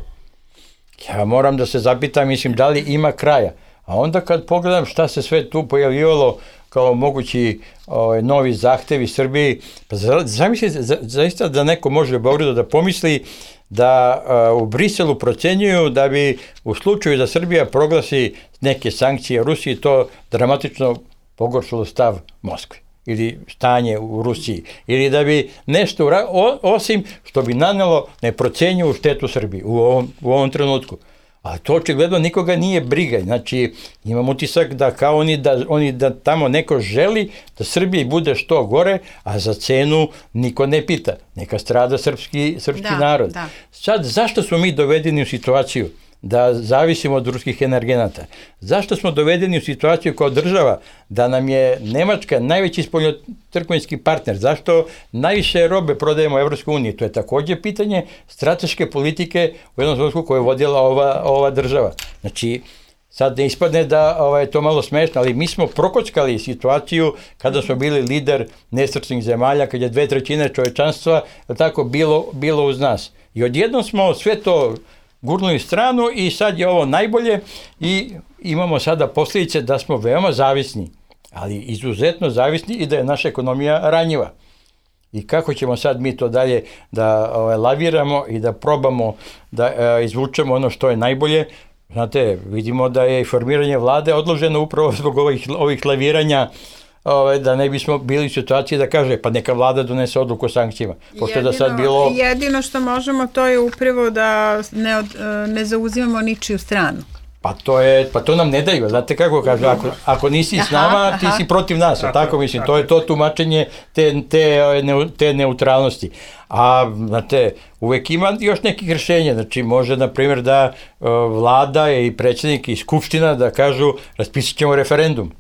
ja moram da se zapitam, mislim, da li ima kraja. A onda kad pogledam šta se sve tu pojavljivalo kao mogući ovaj, novi zahtevi Srbiji, pa zamislite, za, zaista da neko može u Beogradu da pomisli da a, u Briselu procenjuju da bi u slučaju da Srbija proglasi neke sankcije Rusiji, to dramatično pogoršalo stav Moskve ili stanje u Rusiji, ili da bi nešto, o, osim što bi nanelo neprocenjivu štetu Srbiji u ovom, u ovom trenutku. Ali to očigledno nikoga nije briga. Znači, imam utisak da kao oni da, oni da tamo neko želi da Srbiji bude što gore, a za cenu niko ne pita. Neka strada srpski, srpski da, narod. Da. Sad, zašto smo mi dovedeni u situaciju da zavisimo od ruskih energenata? Zašto smo dovedeni u situaciju kao država da nam je Nemačka najveći spoljnotrgovinski partner? Zašto najviše robe prodajemo u Evropskoj uniji? To je takođe pitanje strateške politike u jednom trenutku koju je vodila ova, ova država. Znači, sad ne ispadne da ovaj, je to malo smešno, ali mi smo prokockali situaciju kada smo bili lider nesrećnih zemalja, kad je dve trećine čovečanstva tako bilo, bilo uz nas. I odjednom smo sve to gurnuli stranu i sad je ovo najbolje i imamo sada posljedice da smo veoma zavisni, ali izuzetno zavisni i da je naša ekonomija ranjiva. I kako ćemo sad mi to dalje da ovaj, laviramo i da probamo da e, izvučemo ono što je najbolje? Znate, vidimo da je formiranje vlade odloženo upravo zbog ovih, ovih laviranja, Ove, da ne bismo bili u situaciji da kaže pa neka vlada donese odluku o sankcijama. Pošto jedino, da sad bilo...
jedino što možemo to je upravo da ne, od, ne zauzimamo ničiju stranu.
Pa to je, pa to nam ne daju, znate kako kaže, ako, ako nisi aha, s nama, ti aha. si protiv nas, tako, tako mislim, tako. To je to tumačenje te, te, te neutralnosti. A, znate, uvek ima još nekih rešenja, znači može, na primjer, da uh, vlada i predsjednik i skupština da kažu raspisat ćemo referendum.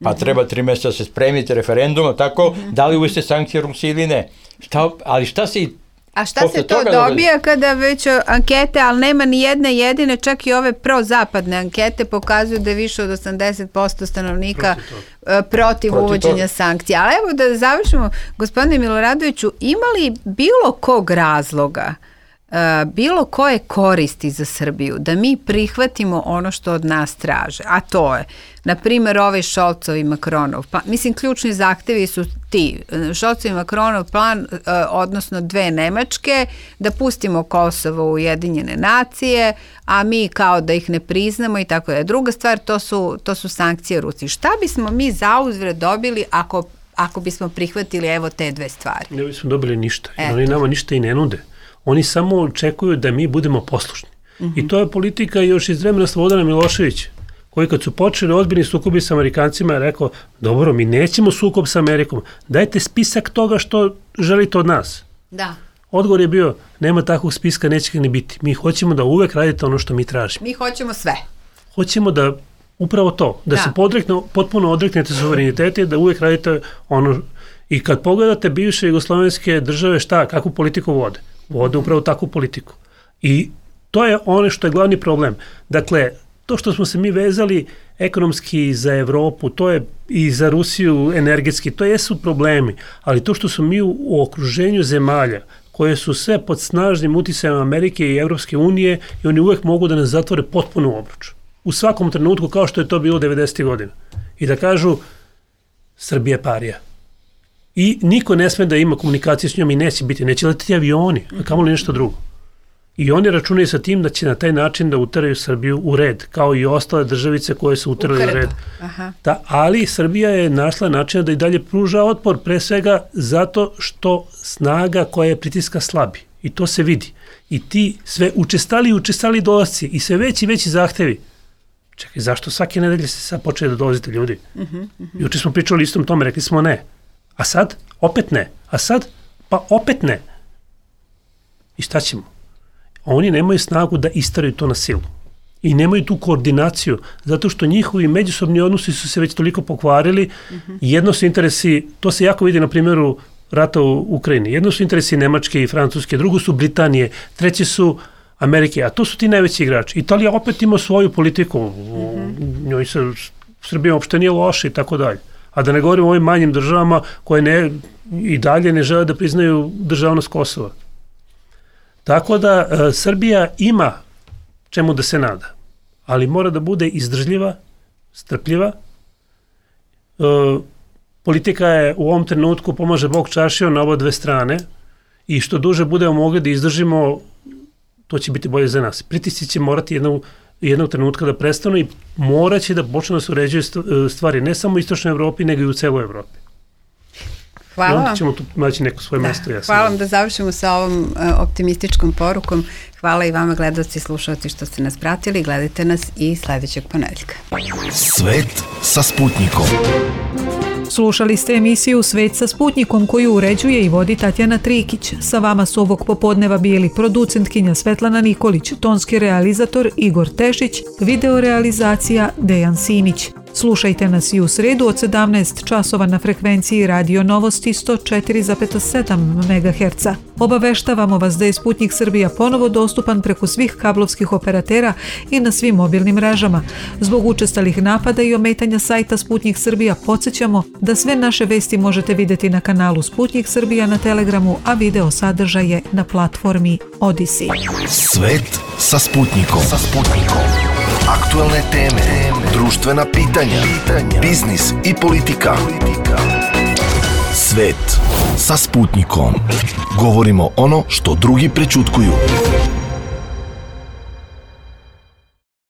Pa treba tri mjeseca se spremiti referendum, tako, mm-hmm. da li uvesti sankcije Rusiji ili ne. Šta, ali šta se i
A šta se to dobija da... kada već ankete, ali nema ni jedne jedine, čak i ove prozapadne ankete pokazuju da je više od osamdeset posto stanovnika protiv, protiv, protiv uvođenja toga. Sankcija. Ali evo da završimo, gospodine Miloradoviću, ima li bilo kog razloga, bilo koje koristi za Srbiju da mi prihvatimo ono što od nas traže, a to je, na primjer, ovaj Šolcov i Makronov, pa, mislim, ključni zahtevi su ti, Šolcov i Makronov plan, odnosno dve Nemačke, da pustimo Kosovo u Ujedinjene nacije, a mi kao da ih ne priznamo i tako da. Druga stvar, to su, to su sankcije Rusiji. Šta bismo mi zauzvrat dobili ako, ako bismo prihvatili evo te dve stvari?
Ne bismo dobili ništa, jer oni nama ništa i ne nude. Oni samo očekuju da mi budemo poslušni. Mm-hmm. I to je politika još iz vremena Slobodana Miloševića. koji kad su počeli ozbiljni sukobi sa Amerikancima je rekao, dobro, mi nećemo sukob sa Amerikom, dajte spisak toga što želite od nas.
Da.
Odgovor je bio, nema takvog spiska, neće ga ni biti. Mi hoćemo da uvek radite ono što mi tražimo.
Mi hoćemo sve.
Hoćemo da, upravo to, da, da. se podrekne, potpuno odreknete suverenitete, da uvek radite ono. I kad pogledate bivše jugoslovenske države, šta, kakvu politiku vode? Vode upravo takvu politiku. I to je ono što je glavni problem. Dakle, to što smo se mi vezali ekonomski za Evropu, to je i za Rusiju energetski, to jesu problemi, ali to što smo mi u, u okruženju zemalja koje su sve pod snažnim uticajem Amerike i Evropske unije i oni uvek mogu da nas zatvore potpuno u obruč. U svakom trenutku kao što je to bilo devedesetih godina. I da kažu Srbija je parija. I niko ne sme da ima komunikaciju s njom i neće biti, neće letiti avioni, a kamoli nešto drugo. I oni računaju sa tim da će na taj način da uteraju Srbiju u red, kao i ostale državice koje su uterali u red.
Aha.
Da, ali Srbija je našla način da i dalje pruža otpor, pre svega zato što snaga koja je pritiska slabi. I to se vidi. I ti sve učestali i učestali dolasci i sve veći i veći zahtevi. Čekaj, zašto svake nedelje se sad počeli da dolazite ljudi? Uh-huh, uh-huh. Juče smo pričali istom tome, rekli smo ne. A sad? Opet ne. A sad? Pa opet ne. I šta ćemo? Oni nemaju snagu da istaraju to na silu. I nemaju tu koordinaciju, zato što njihovi međusobni odnosi su se već toliko pokvarili. Uh-huh. Jedno su interesi, to se jako vidi na primjeru rata u Ukrajini. Jedno su interesi Nemačke i Francuske, drugo su Britanije, treće su Amerike, a to su ti najveći igrači. Italija opet ima svoju politiku, uh-huh. njoj se Srbija uopšte nije loša i tako dalje. A da ne govorimo o ovim manjim državama koje ne, i dalje ne žele da priznaju državnost Kosova. Tako da e, Srbija ima čemu da se nada, ali mora da bude izdržljiva, strpljiva. E, politika je u ovom trenutku, pomaže Bog čašio na oba dve strane i što duže budemo mogli da izdržimo, to će biti bolje za nas. Pritisci će morati jednog, jednog trenutka da prestanu i morat će da počne da se uređuju stvari ne samo u istočnoj Evropi, nego i u celoj Evropi.
Hvala vam.
Onda ćemo tu naći neko svoje
da,
mesto. Ja
hvala vam da završimo sa ovom uh, optimističkom porukom. Hvala i vama gledalci i slušalci što ste nas pratili. Gledajte nas i sledećeg ponedeljka.
Svet sa Sputnikom.
Slušali ste emisiju Svet sa Sputnikom koju uređuje i vodi Tatjana Trikić. Sa vama su ovog popodneva bili producentkinja Svetlana Nikolić, tonski realizator Igor Tešić, videorealizacija Dejan Sinić. Slušajte nas i u sredu od sedamnaest časova na frekvenciji Radio Novosti sto četiri zarez sedam megaherca. Obaveštavamo vas da je Sputnik Srbija ponovo dostupan preko svih kablovskih operatera i na svim mobilnim mrežama. Zbog učestalih napada i ometanja sajta Sputnik Srbija podsjećamo da sve naše vesti možete vidjeti na kanalu Sputnik Srbija na Telegramu, a video sadržaj je na platformi Odyssey.
Svet sa Sputnikom. Sa Sputnikom. Aktualne teme, društvena pitanja, biznis i politika. Svet sa Sputnikom. Govorimo ono što drugi prećutkuju.